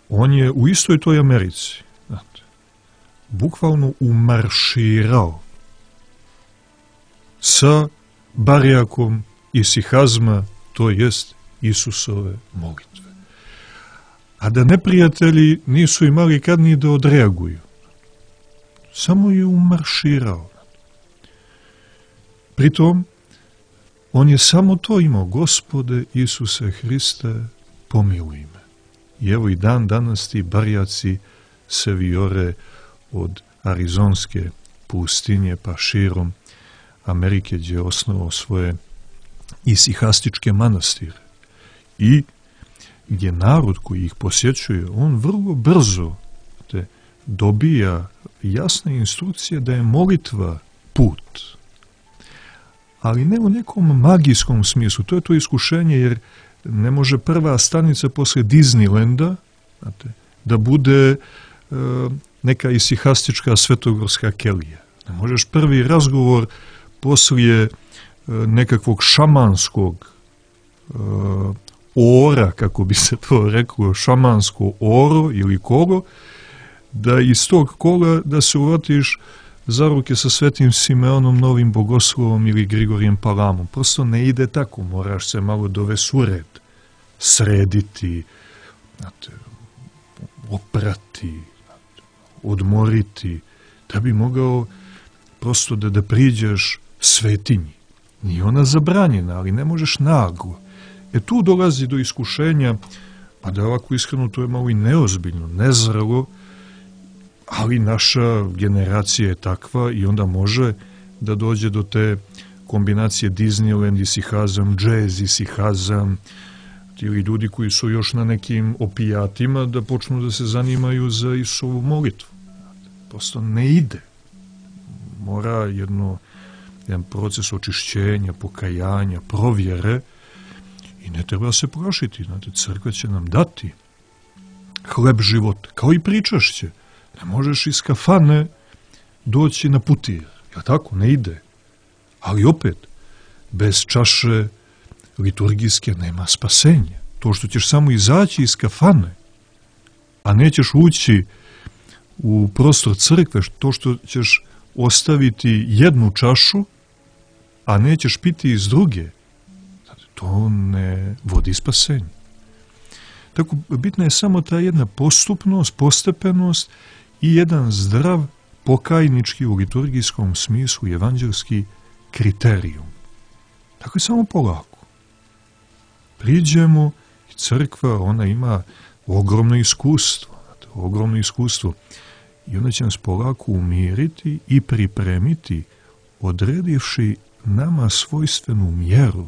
On je u istoj toj Americi, znate, bukvalno umarširao sa barjakom isihazma, to jest Isusove molitve. A da neprijatelji nisu imali kad ni da odreaguju. Samo je umarširao. Pritom, on je samo to imao: Gospode Isuse Hriste, pomiluj me. I evo i dan danas ti barjaci se vijore od Arizonske pustinje pa širom Amerike, gdje je osnovao svoje isihastičke manastire. I gdje narod koji ih posjećuje, on vrlo brzo dobija jasne instrukcije da je molitva put. Ali ne u nekom magijskom smislu. To je to iskušenje, jer ne može prva stanica posle Disneylanda, znate, da bude neka isihastička svetogorska kelija. Ne možeš prvi razgovor poslije nekakvog šamanskog ora, kako bi se to reklo, šamansko oro ili kolo, da iz tog kola da se uvatiš za ruke sa Svetim Simeonom, Novim Bogoslovom ili Grigorijem Palamom. Prosto ne ide tako, moraš se malo dovesti u red, srediti, oprati, odmoriti, da bi mogao prosto da priđeš svetinji. Nije ona zabranjena, ali ne možeš naglo. Tu dolazi do iskušenja, pa da ovako iskreno to je malo i neozbiljno, nezrelo, ali naša generacija je takva i onda može da dođe do te kombinacije Disneyland, isihazam, džez, isihazam, ili ljudi koji su još na nekim opijatima da počnu da se zanimaju za Isusovu molitvu. Prosto ne ide. Mora jedan proces očišćenja, pokajanja, provjere i ne treba se plašiti. Znate, crkva će nam dati hleb života, kao i pričašće. Ne možeš iz kafane doći na putir. Ja tako, ne ide. Ali opet, bez čaše liturgijske nema spasenja. To što ćeš samo izaći iz kafane, a nećeš ući u prostor crkve, to što ćeš ostaviti jednu čašu, a nećeš piti iz druge, to ne vodi spasenje. Tako, bitna je samo ta jedna postupnost, postepenost i jedan zdrav pokajnički u liturgijskom smislu evanđelski kriterijum. Tako je samo polako. Priđemo i crkva, ona ima ogromno iskustvo i ona će nas polako umiriti i pripremiti, odredivši nama svojstvenu mjeru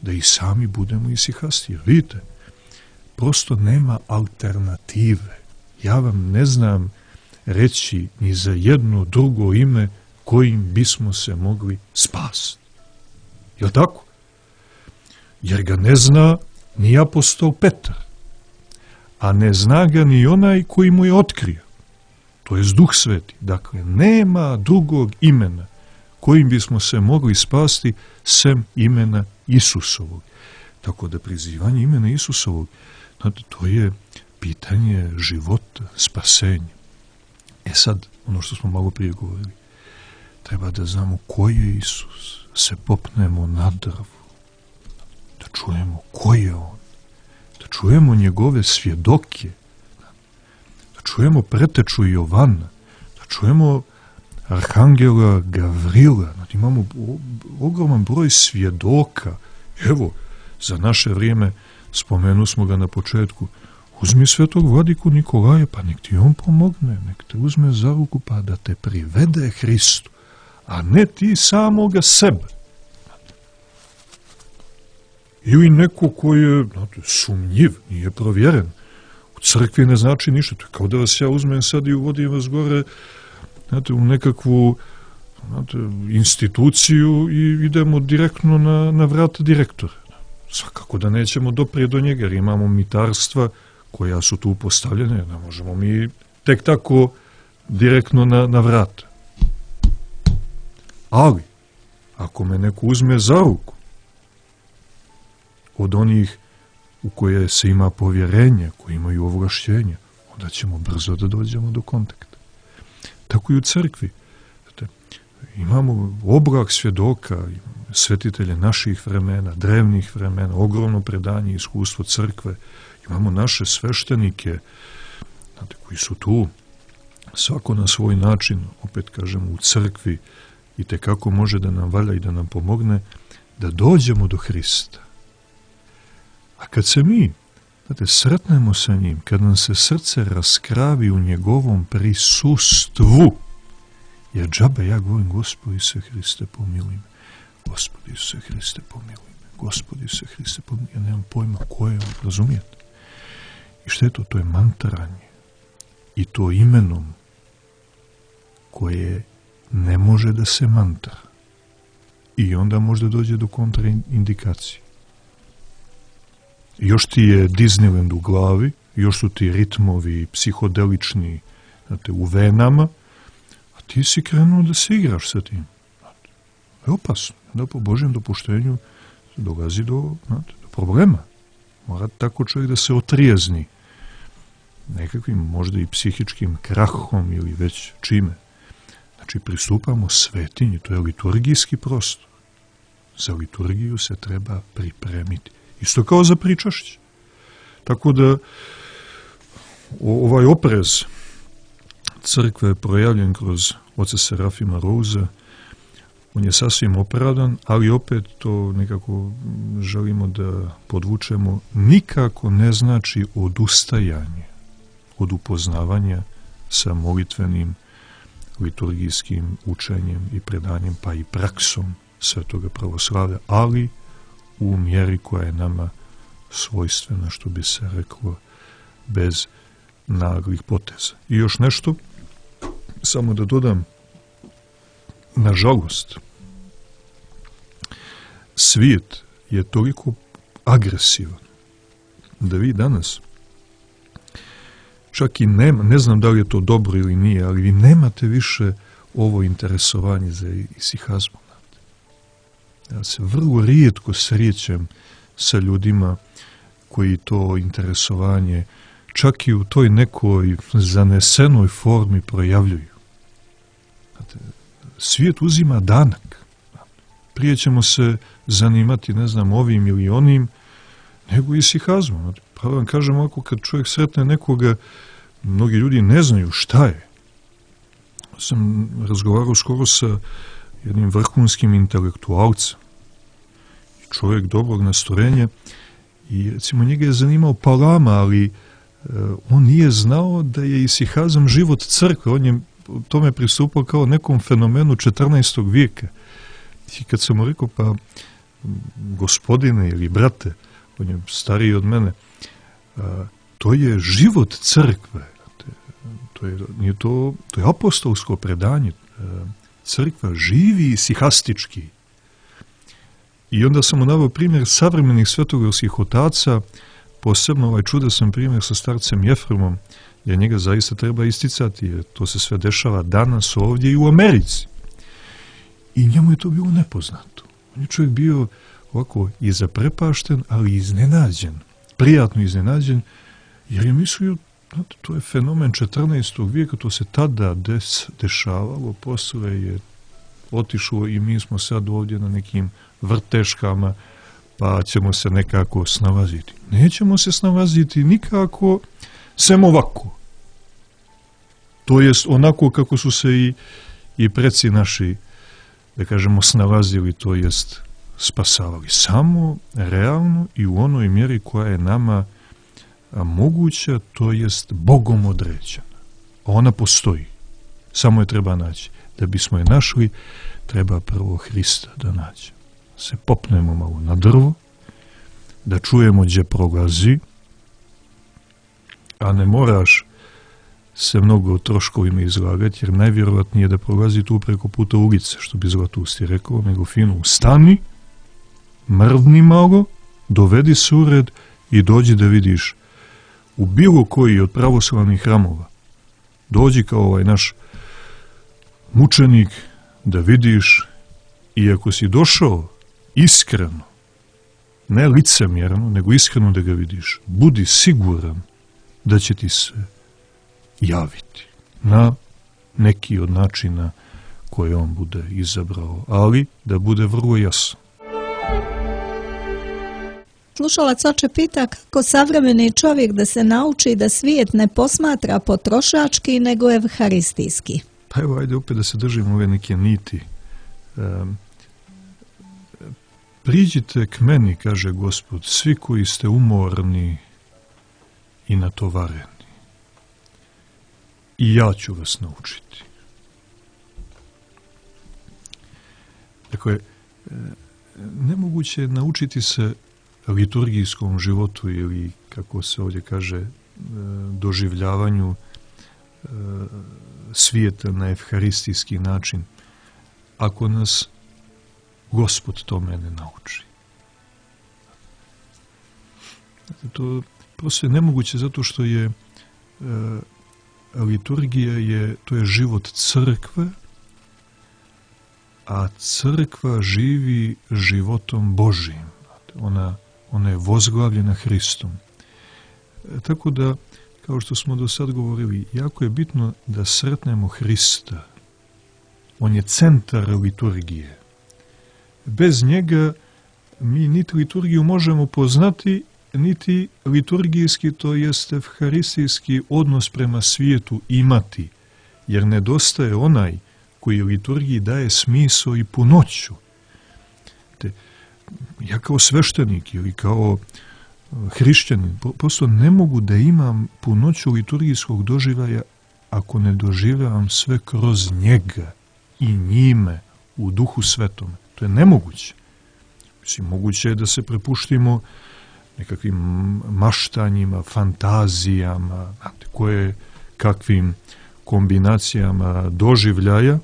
da i sami budemo isihasti. Jer vidite, prosto nema alternative. Ja vam ne znam reći ni za jedno drugo ime kojim bismo se mogli spasiti. Jel' tako? Jer ga ne zna ni apostol Petar, a ne zna ga ni onaj koji mu je otkrio. To je Duh Sveti. Dakle, nema drugog imena kojim bismo se mogli spasti sem imena Isusovog. Tako da prizivanje imena Isusovog, to je pitanje života, spasenja. Sad, ono što smo malo prije govorili, treba da znamo ko je Isus, se popnemo na drvu, da čujemo ko je on, da čujemo njegove svjedoke, da čujemo preteču Jovana, da čujemo arhangela Gavrila. Imamo ogroman broj svjedoka. Evo, za naše vrijeme, spomenu smo ga na početku, uzmi svetog vladiku Nikolaja, pa nek ti on pomogne, nek te uzme za ruku, pa da te privede Hristu, a ne ti samoga sebe. Ili neko koji je sumnjiv, nije provjeren. U crkvi ne znači ništa. To je kao da vas ja uzmem sad i uvodim vas gore u nekakvu instituciju i idemo direktno na vrata direktora. Svakako da nećemo doprijeti do njega, jer imamo mitarstva koja su tu postavljene, ne možemo mi tek tako direktno na vrata. Ali, ako me neko uzme za ruku od onih u koje se ima povjerenje, koji imaju ovlašćenje, onda ćemo brzo da dođemo do kontakta. Tako i u crkvi. Imamo oblak svjedoka, svetitelje naših vremena, drevnih vremena, ogromno predanje i iskustvo crkve. Imamo naše sveštenike, koji su tu, svako na svoj način, opet kažemo, u crkvi, i tekako može da nam valja i da nam pomogne da dođemo do Hrista. A kad se mi, sretnemo sa njim, kad nam se srce raskravi u njegovom prisustvu, jer džabe ja govorim, Gospodi se Hriste, pomiluj me, Gospodi se Hriste, pomiluj me, Gospodi se Hriste, pomiluj me, ja nemam pojma ko je on, razumijete? I što je to? To je mantranje. I to imenom koje ne može da se mantra. I onda možda dođe do kontraindikacije. Još ti je Disneyland u glavi, još su ti ritmovi psihodelični, u venama, a ti si krenuo da se igraš sa tim. Je opasno. Da po Božjem dopuštenju dolazi do problema. Mora tako čovjek da se otrijezni nekakvim možda i psihičkim krahom ili već čime. Znači, pristupamo svetinji, to je liturgijski prostor. Za liturgiju se treba pripremiti. Isto kao za pričašće. Tako da ovaj oprez crkve je projavljen kroz oca Serafima Rouza. On je sasvim opravdan, ali opet to nekako želimo da podvučemo. Nikako ne znači odustajanje od upoznavanja sa molitvenim, liturgijskim učenjem i predanjem, pa i praksom Svetoga pravoslavlja, ali u mjeri koja je nama svojstvena, što bi se reklo, bez naglih poteza. I još nešto, samo da dodam, nažalost, svijet je toliko agresivan da vi danas čak i ne znam da li je to dobro ili nije, ali vi nemate više ovo interesovanje za isihazmom. Ja se vrlo rijetko srećem sa ljudima koji to interesovanje čak i u toj nekoj zanesenoj formi projavljuju. Svijet uzima danak. Prije ćemo se zanimati, ne znam, ovim ili onim, nego isihazmom. Pa vam kažem ovako, kad čovjek sretne nekoga, mnogi ljudi ne znaju šta je. Sam razgovarao skoro sa jednim vrhunskim intelektualcem. Čovjek dobrog nastorenja i recimo njega je zanimao Palama, ali on nije znao da je isihazam život crkve. On je tome pristupao kao nekom fenomenu 14. vijeka. I kad sam mu rekao, pa gospodine ili brate, on je stariji od mene, to je život crkve. To je apostolsko predanje. Crkva živi isihastički. I onda sam mu naveo primjer savremenih svetogorskih otaca, posebno ovaj čudesan primjer sa starcem Jefremom, jer njega zaista treba isticati, jer to se sve dešava danas ovdje i u Americi. I njemu je to bilo nepoznato. On je čovjek bio ovako i zaprepašten, ali iznenađen, prijatno iznenađen, jer je mislio, to je fenomen 14. vijeka, to se tada dešavalo, posle je otišlo i mi smo sad ovdje na nekim vrteškama, pa ćemo se nekako snalaziti. Nećemo se snalaziti nikako, sem ovako. To jest onako kako su se i preci naši, da kažemo, snalazili, to jest spasavali. Samo realno i u onoj mjeri koja je nama moguća, to jest Bogom određena. Ona postoji. Samo je treba naći. Da bismo je našli, treba prvo Hrista da nađemo. Se popnemo malo na drvo, da čujemo gdje prolazi, a ne moraš se mnogo o troškovima izlagati, jer najvjerovatnije da prolazi tu preko puta ulice, što bi Zlatusti rekao, nego fino stani, mrdni malo, dovedi se u red i dođi da vidiš u bilo koji od pravoslavnih hramova. Dođi kao ovaj naš mučenik da vidiš, i ako si došao iskreno, ne licemjerno, nego iskreno da ga vidiš, budi siguran da će ti se javiti na neki od načina koje on bude izabrao, ali da bude vrlo jasno. Slušalac oče pita kako savremeni čovjek da se nauči da svijet ne posmatra potrošački, nego evharistijski. Pa evo, ajde opet da se držimo ove neke niti. Priđite k meni, kaže Gospod, svi koji ste umorni i natovareni. I ja ću vas naučiti. Dakle, nemoguće je naučiti se liturgijskom životu ili, kako se ovdje kaže, doživljavanju svijeta na evharistijski način, ako nas Gospod tome ne nauči. To prosto je nemoguće zato što je liturgija to je život crkve, a crkva živi životom Božijim. Ona je vozglavljena Hristom. Tako da, kao što smo do sad govorili, jako je bitno da sretnemo Hrista. On je centar liturgije. Bez njega mi niti liturgiju možemo poznati, niti liturgijski, to jest evharistijski odnos prema svijetu imati, jer nedostaje onaj koji liturgiji daje smisao i punoću. Ja kao sveštenik ili kao hrišćanin prosto ne mogu da imam punoću liturgijskog doživljaja ako ne doživljavam sve kroz njega i njime u Duhu Svetom. To je nemoguće. Mislim, moguće je da se prepuštimo nekakvim maštanjima, fantazijama, koje kakvim kombinacijama doživljaja,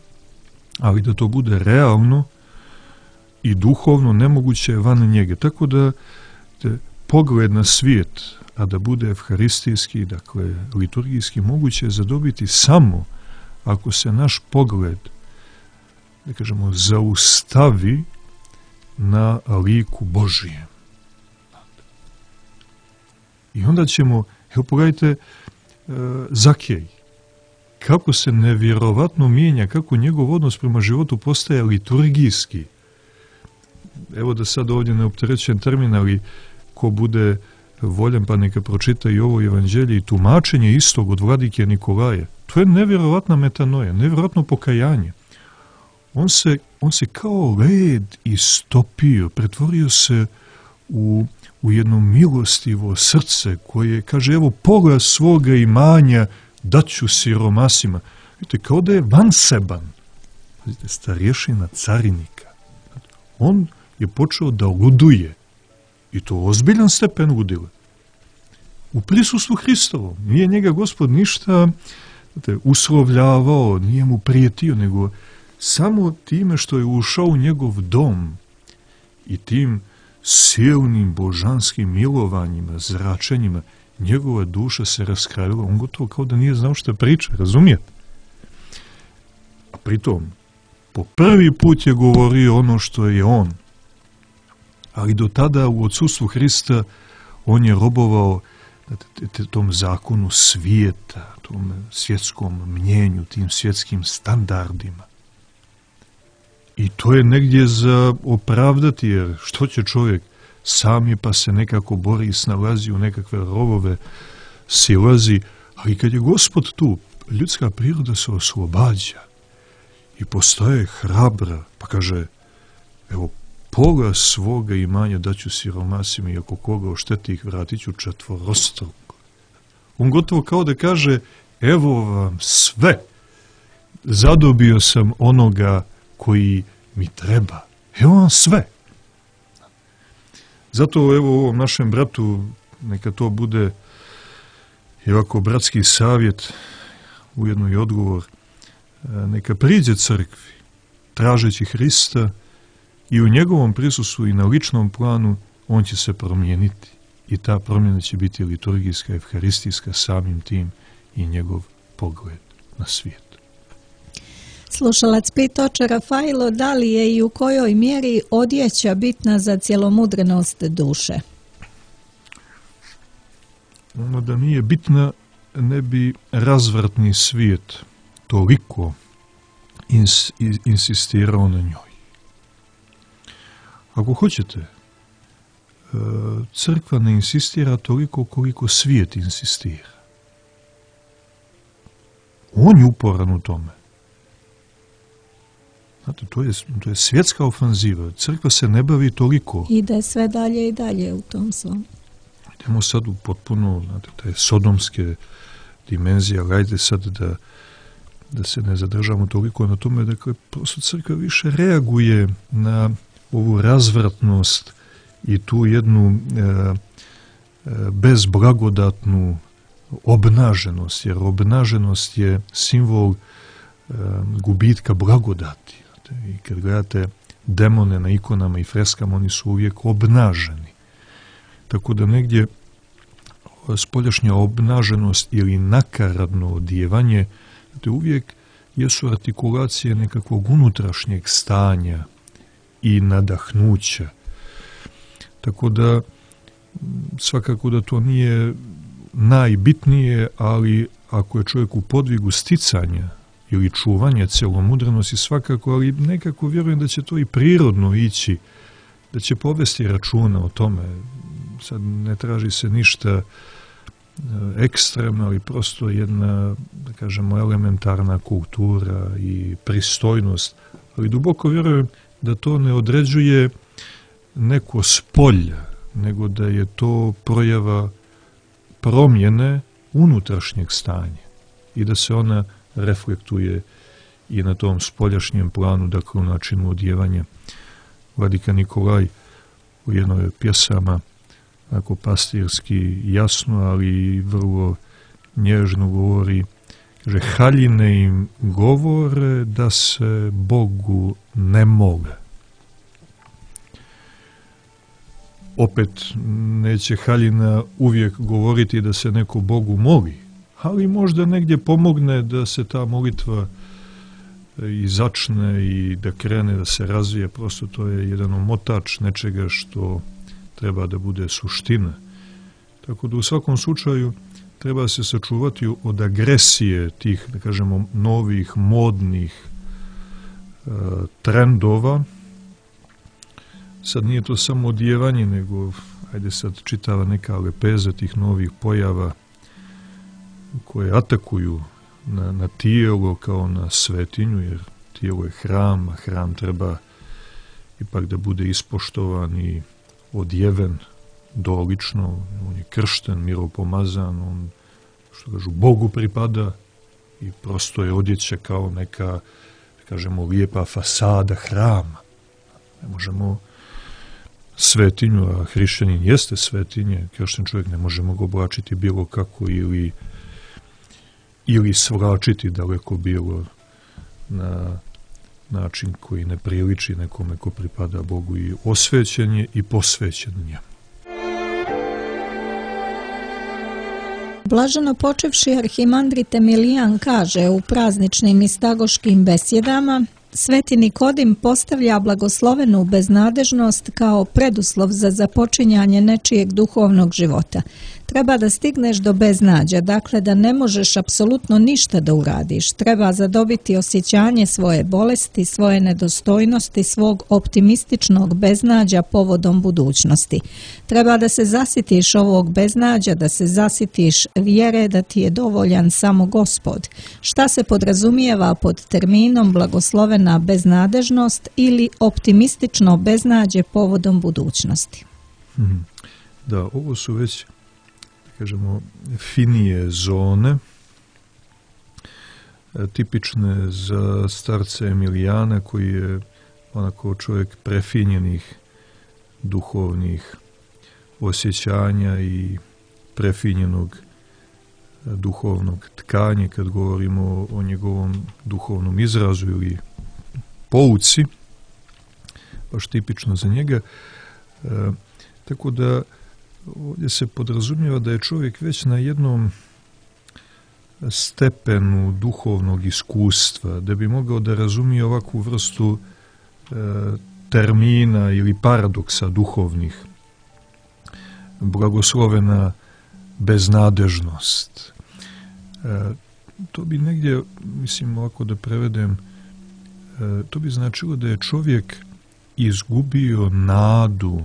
ali da to bude realno i duhovno nemoguće je van njega. Tako da pogled na svijet, a da bude evharistijski, dakle liturgijski, moguće je zadobiti samo ako se naš pogled, da kažemo, zaustavi na liku Božijem. I onda ćemo, evo pogledajte Zakej, kako se nevjerovatno mijenja, kako njegov odnos prema životu postaje liturgijski. Evo da sad ovdje ne opterećujem termin, ali ko bude voljan pa neka pročita i ovo evanđelje i tumačenje istog od vladike Nikolaja. To je nevjerovatna metanoja, nevjerovatno pokajanje. On se kao led istopio, pretvorio se u jedno milostivo srce koje kaže, evo pola svoga imanja daću siromasima. Vidite, kao da je vanseban. Vidite, starješina carinika. On je počeo da luduje. I to ozbiljan stepen ludila. U prisustvu Hristovom. Nije njega Gospod ništa uslovljavao, nije mu prijetio, nego samo time što je ušao u njegov dom i tim silnim božanskim milovanjima, zračenjima, njegova duša se raskrajila. On gotovo kao da nije znao što priča, razumijete? A pritom, po prvi put je govorio ono što je on. Ali do tada u odsustvu Hrista on je robovao tom zakonu svijeta, tom svjetskom mnjenju, tim svjetskim standardima. I to je negdje za opravdati, jer što će čovjek sam je pa se nekako bori i snalazi u nekakve rovove, silazi, ali kad je Gospod tu, ljudska priroda se oslobađa i postaje hrabra, pa kaže, evo, pola svoga imanja daću siromasima i ako koga ošteti ih vratit ću četvorostruko. On gotovo kao da kaže, evo vam sve, zadobio sam onoga koji mi treba. Evo vam sve. Zato evo ovom našem bratu, neka to bude i ovako bratski savjet, ujedno i odgovor, neka priđe crkvi, tražeći Hrista i u njegovom prisustvu i na ličnom planu on će se promijeniti. I ta promjena će biti liturgijska, evharistijska, samim tim i njegov pogled na svijet. Slušalac pita oče Rafailo, da li je i u kojoj mjeri odjeća bitna za cjelomudrenost duše? Ono da nije bitna, ne bi razvratni svijet toliko insistirao na njoj. Ako hoćete, crkva ne insistira toliko koliko svijet insistira. On je uporan u tome. Znate, to je svjetska ofanziva. Crkva se ne bavi toliko. Ide sve dalje i dalje u tom svom. Idemo sad u potpuno, znate, te sodomske dimenzije, ali ajde sad da se ne zadržamo toliko na tome. Dakle, prosto crkva više reaguje na ovu razvratnost i tu jednu bezblagodatnu obnaženost, jer obnaženost je simbol gubitka blagodati. I kad gledate demone na ikonama i freskama, oni su uvijek obnaženi. Tako da negdje spoljašnja obnaženost ili nakaradno odjevanje, uvijek jesu artikulacije nekakvog unutrašnjeg stanja i nadahnuća. Tako da svakako da to nije najbitnije, ali ako je čovjek u podvigu sticanja ili čuvanja celomudrenosti, svakako, ali nekako vjerujem da će to i prirodno ići, da će povesti računa o tome. Sad ne traži se ništa ekstremno, ali prosto jedna, da kažemo, elementarna kultura i pristojnost. Ali duboko vjerujem da to ne određuje neko spolje, nego da je to projava promjene unutrašnjeg stanja i da se ona reflektuje i na tom spoljašnjem planu, dakle u načinu odjevanja. Vladika Nikolaj u jednoj pjesama, ako pastirski jasno, ali vrlo nježno govori, kaže, haljine im govore da se Bogu ne mole. Opet neće haljina uvijek govoriti da se neko Bogu moli, ali možda negdje pomogne da se ta molitva i začne i da krene, da se razvije. Prosto to je jedan omotač nečega što treba da bude suština. Tako da u svakom slučaju treba se sačuvati od agresije tih, da kažemo, novih, modnih trendova. Sad nije to samo odjevanje, nego, ajde sad, čitava neka lepeza tih novih pojava koje atakuju na tijelo kao na svetinju, jer tijelo je hram, a hram treba ipak da bude ispoštovan i odjeven dolično. On je kršten, miropomazan, on, što kažu, Bogu pripada i prosto je odjeća kao neka, da kažemo, lijepa fasada hrama. Ne možemo svetinju, a hrišćanin jeste svetinje, kršten čovjek, ne možemo ga oblačiti bilo kako ili svračiti daleko bilo na način koji ne priliči nekome ko pripada Bogu, i osvećen je i posvećen njemu. Blaženo počevši arhimandrit Emilijan kaže u prazničnim istagoškim besjedama: Sveti Nikodim postavlja blagoslovenu beznadežnost kao preduslov za započinjanje nečijeg duhovnog života. Treba da stigneš do beznađa, dakle da ne možeš apsolutno ništa da uradiš. Treba zadobiti osjećanje svoje bolesti, svoje nedostojnosti, svog optimističnog beznađa povodom budućnosti. Treba da se zasitiš ovog beznađa, da se zasitiš vjere da ti je dovoljan samo Gospod. Šta se podrazumijeva pod terminom blagoslovena beznadežnost ili optimistično beznađe povodom budućnosti? Da, ovo su već, kažemo, finije zone, tipične za starca Emilijana, koji je onako čovjek prefinjenih duhovnih osjećanja i prefinjenog duhovnog tkanja, kad govorimo o njegovom duhovnom izrazu ili pouci, baš tipično za njega. Tako da ovdje se podrazumijeva da je čovjek već na jednom stepenu duhovnog iskustva, da bi mogao da razumije ovakvu vrstu termina ili paradoksa duhovnih. Blagoslovena beznadežnost. To bi negdje, mislim, ovako da prevedem, to bi značilo da je čovjek izgubio nadu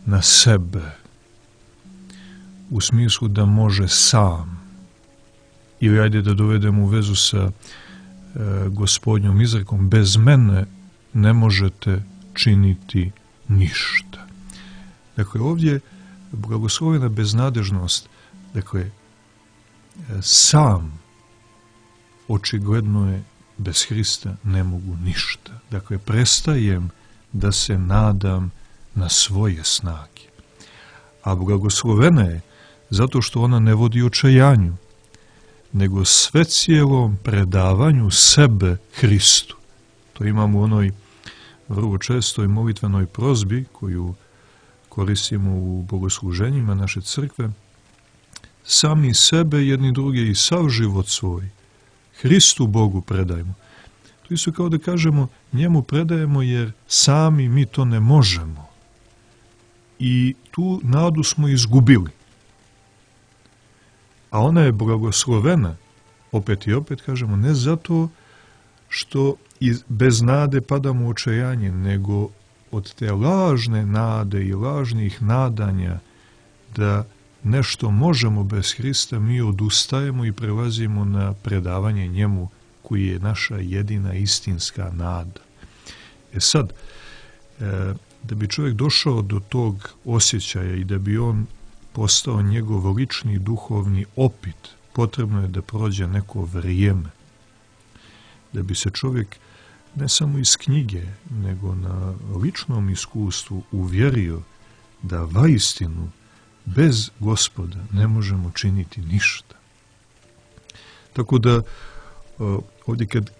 na sebe, u smislu da može sam. Ili ajde da dovedemo u vezu sa Gospodnjom izrekom: bez mene ne možete činiti ništa. Dakle, ovdje blagoslovena beznadežnost, dakle, sam očigledno je bez Hrista ne mogu ništa. Dakle, prestajem da se nadam na svoje snage. A blagoslovena je zato što ona ne vodi očajanju, nego sve cijelom predavanju sebe Hristu. To imamo u onoj vrlo čestoj molitvenoj prozbi koju koristimo u bogosluženjima naše crkve, sami sebe jedni druge i sav život svoj Hristu Bogu predajmo. To isto kao da kažemo njemu predajemo jer sami mi to ne možemo. I tu nadu smo izgubili. A ona je blagoslovena, opet i opet kažemo, ne zato što bez nade padamo u očajanje, nego od te lažne nade i lažnih nadanja da nešto možemo bez Hrista, mi odustajemo i prelazimo na predavanje njemu koji je naša jedina istinska nada. Sad, da bi čovjek došao do tog osjećaja i da bi on postao njegov lični duhovni opit, potrebno je da prođe neko vrijeme. Da bi se čovjek ne samo iz knjige, nego na ličnom iskustvu uvjerio da vaistinu bez Gospoda ne možemo činiti ništa. Tako da ovdje kad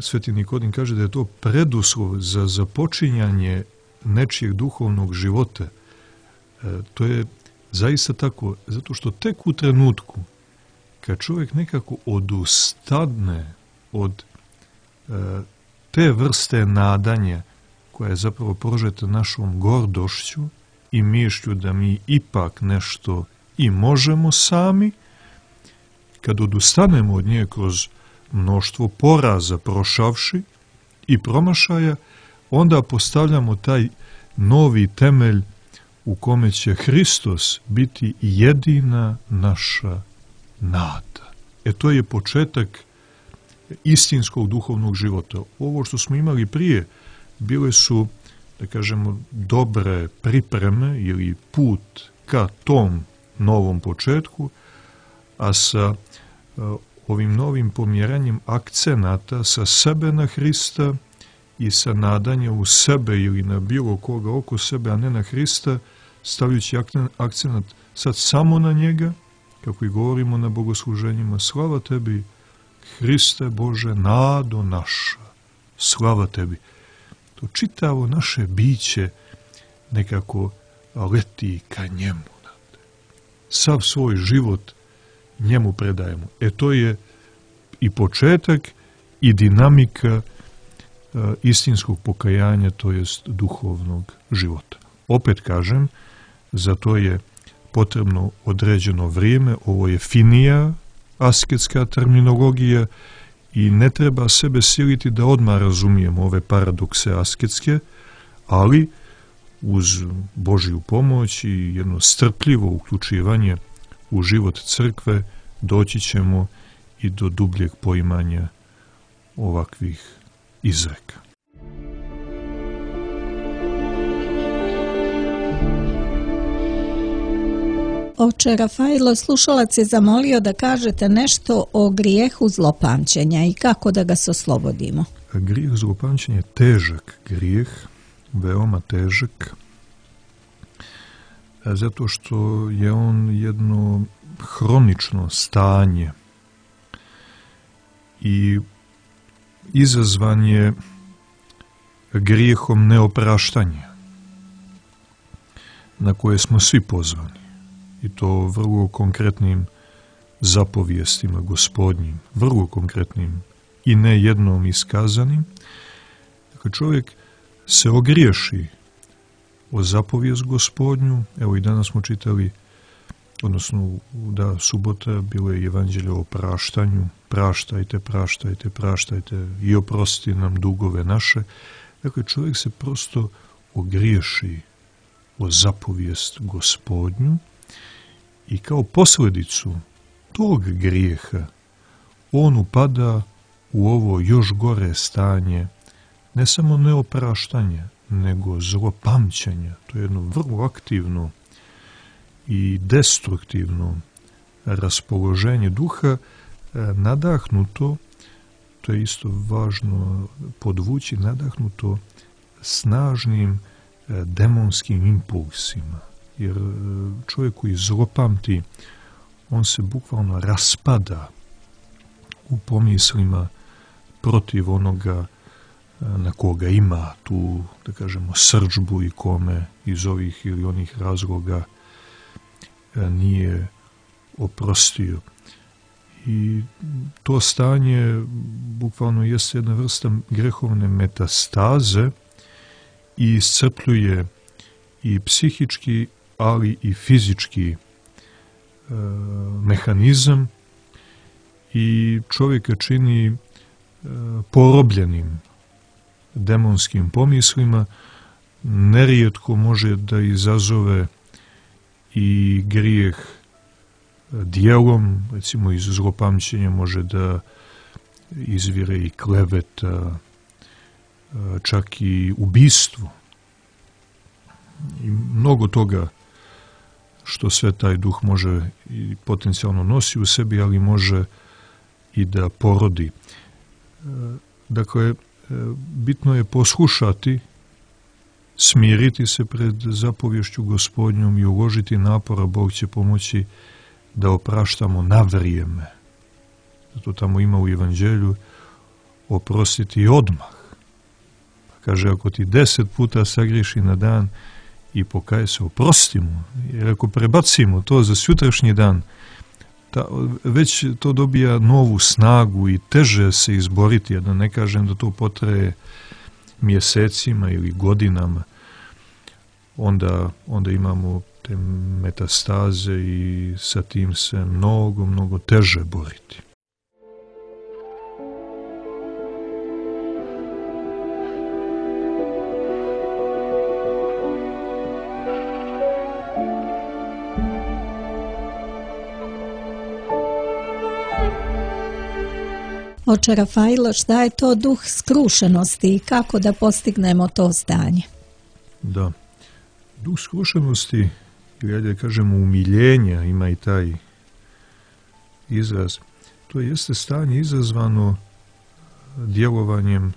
Sveti Nikodim kaže da je to preduslov za započinjanje nečijeg duhovnog života, to je zaista tako, zato što tek u trenutku kad čovjek nekako odustadne od te vrste nadanja koja je zapravo prožeta našom gordošću i mišlju da mi ipak nešto i možemo sami, kad odustanemo od nje kroz mnoštvo poraza prošavši i promašaja, onda postavljamo taj novi temelj u kome će Hristos biti jedina naša nada. To je početak istinskog duhovnog života. Ovo što smo imali prije bile su, da kažemo, dobre pripreme ili put ka tom novom početku, a sa ovim novim pomjeranjem akcenata sa sebe na Hrista i sa nadanja u sebe ili na bilo koga oko sebe, a ne na Hrista, stavljajući akcenat sad samo na njega, kako i govorimo na bogosluženjima, slava tebi, Hriste Bože, nado naša, slava tebi. To čitavo naše biće nekako leti ka njemu. Sav svoj život njemu predajemo. To je i početak i dinamika istinskog pokajanja, to jest duhovnog života. Opet kažem, za to je potrebno određeno vrijeme, ovo je finija asketska terminologija i ne treba sebe siliti da odmah razumijemo ove paradokse asketske, ali uz Božju pomoć i jedno strpljivo uključivanje u život crkve doći ćemo i do dubljeg poimanja ovakvih izreka. Oče Rafailo, slušalac je zamolio da kažete nešto o grijehu zlopamćenja i kako da ga se oslobodimo. Grijeh zlopamćenja je težak grijeh, veoma težak, zato što je on jedno hronično stanje i izazvan je grijehom neopraštanja na koje smo svi pozvani. I to vrlo konkretnim zapovijestima Gospodnjim, vrlo konkretnim i ne jednom iskazanim. Dakle, čovjek se ogriješi o zapovijest Gospodnju. Evo i danas smo čitali, odnosno da subota bilo je evanđelje o praštanju. Praštajte, praštajte, praštajte i oprostite nam dugove naše. Dakle, čovjek se prosto ogriješi o zapovijest Gospodnju i kao posljedicu tog grijeha on upada u ovo još gore stanje, ne samo neopraštanja, nego zlopamćenja. To je jedno vrlo aktivno i destruktivno raspoloženje duha, nadahnuto, to je isto važno podvući, nadahnuto snažnim demonskim impulsima. Jer čovjek koji zlopamti, on se bukvalno raspada u pomislima protiv onoga na koga ima tu, da kažemo, srdžbu i kome iz ovih ili onih razloga nije oprostio. I to stanje bukvalno jeste jedna vrsta grehovne metastaze i iscrpljuje i psihički, ali i fizički mehanizam i čovjeka čini porobljenim demonskim pomislima. Nerijetko može da izazove i grijeh djelom, recimo iz zlopamćenja može da izvire i kleveta, čak i ubistvo. I mnogo toga što sve taj duh može i potencijalno nosi u sebi, ali može i da porodi. Dakle, bitno je poslušati, smiriti se pred zapovješću Gospodnjom i uložiti napora. Bog će pomoći da opraštamo na vrijeme. Zato tamo ima u Evanđelju oprostiti odmah. Pa kaže, ako ti 10 puta sagriješi na dan i pokaje se, oprosti mu. Jer ako prebacimo to za sutrašnji dan, već to dobija novu snagu i teže se izboriti, a da ne kažem da to potraje mjesecima ili godinama, onda imamo te metastaze i sa tim se mnogo teže boriti. Oče Rafailo, šta je to duh skrušenosti i kako da postignemo to stanje? Da, duh skrušenosti, ili ajde kažemo umiljenja, ima i taj izraz, to jeste stanje izazvano djelovanjem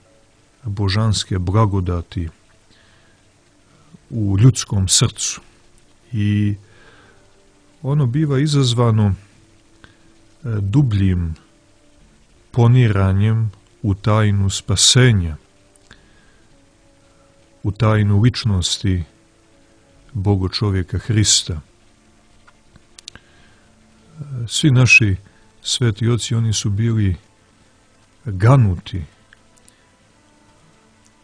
božanske blagodati u ljudskom srcu. I ono biva izazvano dubljim poniranjem u tajnu spasenja, u tajnu ličnosti Boga čovjeka Hrista. Svi naši sveti oci, oni su bili ganuti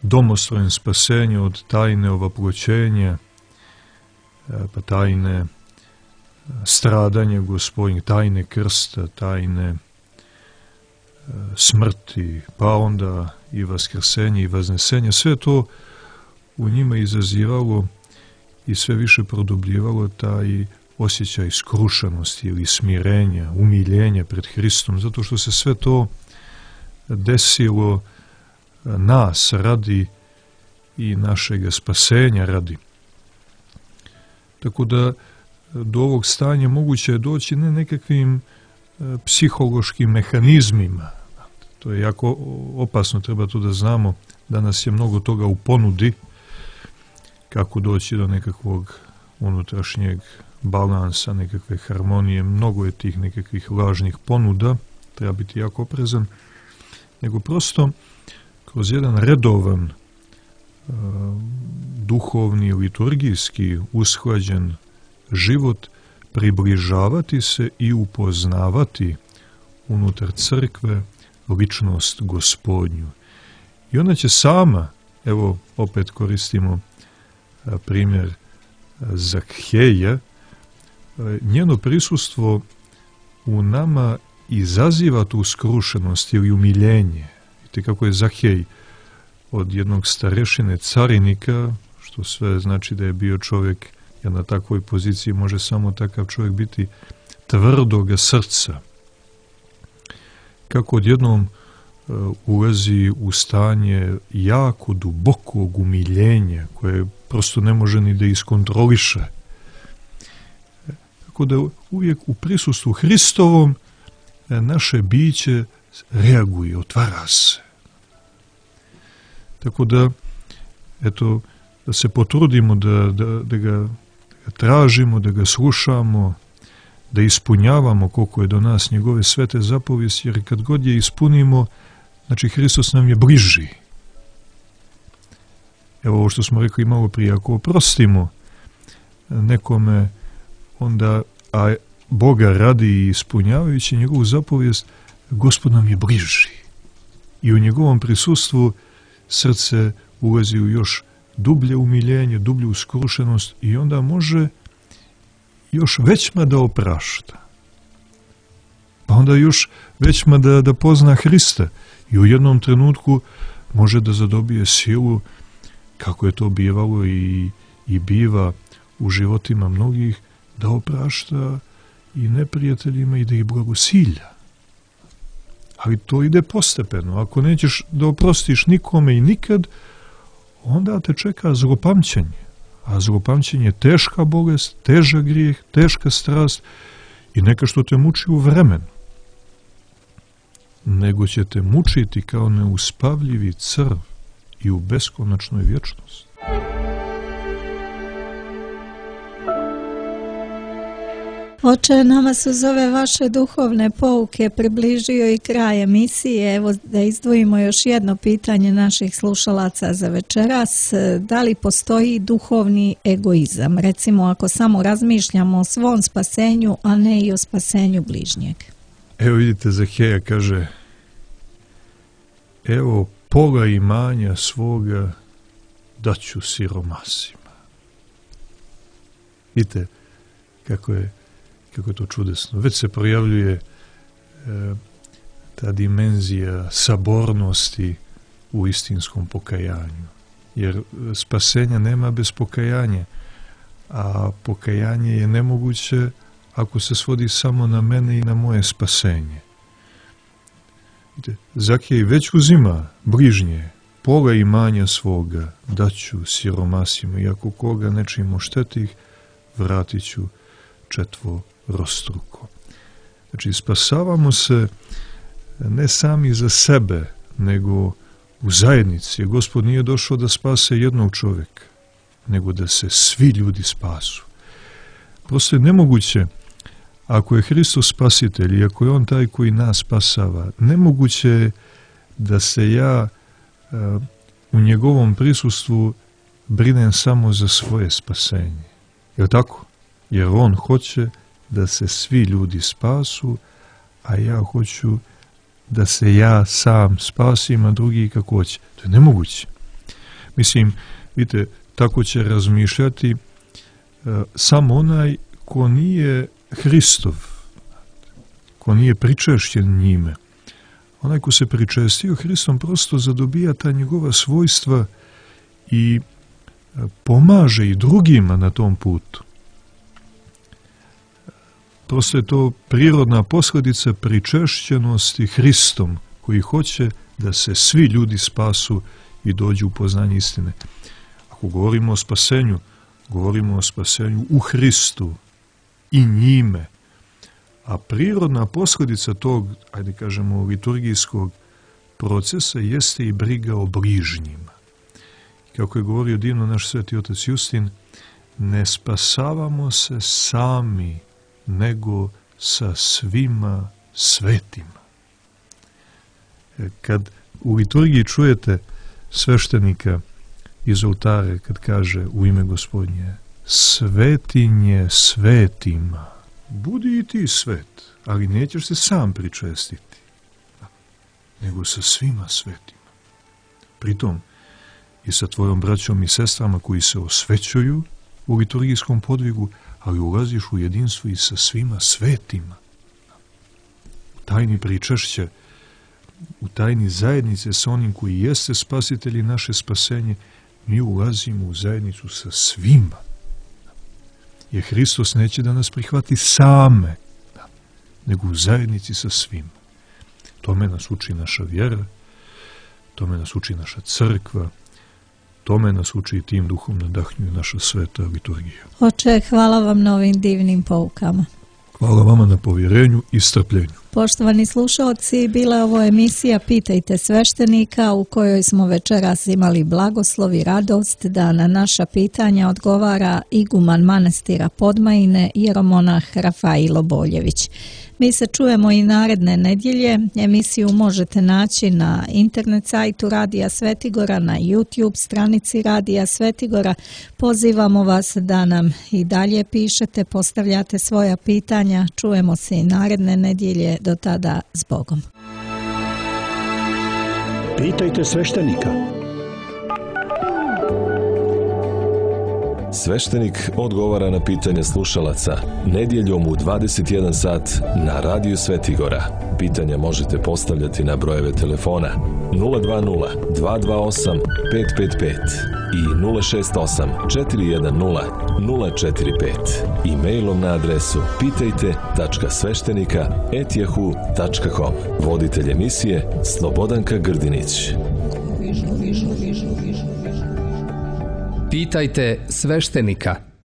domostrojem spasenja od tajne ovaploćenja, pa tajne stradanja Gospodnjeg, tajne krsta, tajne smrti, pa onda i vaskrsenje i vaznesenje. Sve to u njima izazivalo i sve više produbljivalo taj osjećaj skrušenosti ili smirenja, umiljenja pred Hristom, zato što se sve to desilo nas radi i našeg spasenja radi. Tako da do ovog stanja moguće je doći ne nekakvim psihološkim mehanizmima. To je jako opasno, treba to da znamo. Danas je mnogo toga u ponudi, kako doći do nekakvog unutrašnjeg balansa, nekakve harmonije. Mnogo je tih nekakvih lažnih ponuda, treba biti jako oprezan, nego prosto kroz jedan redovan, duhovni, liturgijski usklađen život približavati se i upoznavati unutar crkve ličnost Gospodnju. I ona će sama, evo opet koristimo primjer Zakheja, njeno prisustvo u nama izaziva tu skrušenost ili umiljenje. Vidite kako je Zakhej od jednog starešine carinika, što sve znači da je bio čovjek, jer na takvoj poziciji može samo takav čovjek biti tvrdoga srca. Kako odjednom ulazi u stanje jako dubokog umiljenja koje prosto ne može ni da iskontroliše. Tako da uvijek u prisustvu Hristovom naše biće reaguje, otvara se. Tako da, eto, da se potrudimo da ga tražimo, da ga slušamo, da ispunjavamo koliko je do nas njegove svete zapovijesti, jer kad god je ispunimo, znači Hristos nam je bliži. Evo ovo što smo rekli malo prije, ako oprostimo nekome, onda, a Boga radi i ispunjavajući njegovu zapovijest, Gospod nam je bliži. I u njegovom prisustvu srce ulazi u još dublje umiljenje, dublju skrušenost i onda može još većma da oprašta. Pa onda još većma da pozna Hrista i u jednom trenutku može da zadobije silu, kako je to bivalo i biva u životima mnogih, da oprašta i neprijateljima i da ih blagosilja. Ali to ide postepeno. Ako nećeš da oprostiš nikome i nikad, onda te čeka zlopamćenje. A zlopamćenje je teška bolest, težak grijeh, teška strast i neka što te muči u vremenu. Nego će te mučiti kao neuspavljivi crv i u beskonačnoj vječnosti. Oče, nama su uz ove vaše duhovne pouke približio i kraj emisije. Evo da izdvojimo još jedno pitanje naših slušalaca za večeras. Da li postoji duhovni egoizam? Recimo ako samo razmišljamo o svom spasenju, a ne i o spasenju bližnjeg. Evo vidite, Zaheja kaže, evo pola imanja svoga daću siromasima. Vidite kako je to čudesno. Već se projavljuje ta dimenzija sabornosti u istinskom pokajanju. Jer spasenja nema bez pokajanja, a pokajanje je nemoguće ako se svodi samo na mene i na moje spasenje. Zakej već uzima bližnje, pola imanja svoga daću siromasima i ako koga nečim oštetih, vratit ću četvorostruko. Znači, spasavamo se ne sami za sebe, nego u zajednici. Gospod nije došao da spase jednog čovjeka, nego da se svi ljudi spasu. Prosto je nemoguće, ako je Hristos spasitelj i ako je On taj koji nas spasava, nemoguće je da se ja u njegovom prisustvu brinem samo za svoje spasenje. Je li tako? Jer On hoće da se svi ljudi spasu, a ja hoću da se ja sam spasim, a drugi kako hoće. To je nemoguće. Mislim, vidite, tako će razmišljati samo onaj ko nije Hristov, ko nije pričešćen njime. Onaj ko se pričestio Hristom prosto zadobija ta njegova svojstva i pomaže i drugima na tom putu. Prosto je to prirodna posljedica pričešćenosti Hristom, koji hoće da se svi ljudi spasu i dođu u poznanje istine. Ako govorimo o spasenju, govorimo o spasenju u Hristu i njime. A prirodna posljedica tog, ajde kažemo, liturgijskog procesa jeste i briga o bližnjima. Kako je govorio divno naš sveti otac Justin, ne spasavamo se sami, nego sa svima svetima. Kad u liturgiji čujete sveštenika iz oltare kad kaže u ime Gospodnje svetinje svetima, budi i ti svet, ali nećeš se sam pričestiti, nego sa svima svetima. Pritom i sa tvojom braćom i sestrama koji se osvećuju u liturgijskom podvigu, ali ulaziš u jedinstvo i sa svima svetima. U tajni pričešća, u tajni zajednice sa onim koji jeste spasitelj i naše spasenje, mi ulazimo u zajednicu sa svima. Jer Hristos neće da nas prihvati same, nego u zajednici sa svima. Tome nas uči naša vjera, tome nas uči naša crkva, tome nas uči i tim duhom nadahnjuje naša sveta liturgija. Oče, hvala vam na ovim divnim poukama. Hvala vama na povjerenju i strpljenju. Poštovani slušalci, bila je ovo emisija Pitajte sveštenika u kojoj smo večeras imali blagoslov i radost da na naša pitanja odgovara iguman manastira Podmajine, jeromonah Rafailo Boljević. Mi se čujemo i naredne nedjelje. Emisiju možete naći na internet sajtu Radija Svetigora, na YouTube stranici Radija Svetigora. Pozivamo vas da nam i dalje pišete, postavljate svoja pitanja. Čujemo se i naredne nedjelje. Do tada, s Bogom. Pitajte sveštenika. Sveštenik odgovara na pitanje slušalaca nedjeljom u 21 sat na Radiju Svetigora. Pitanja možete postavljati na brojeve telefona 020 228 555 i 068 410 045 i mailom na adresu pitajte.sveštenika@yahoo.com. Voditelj emisije Slobodanka Grdinić. Pitajte sveštenika.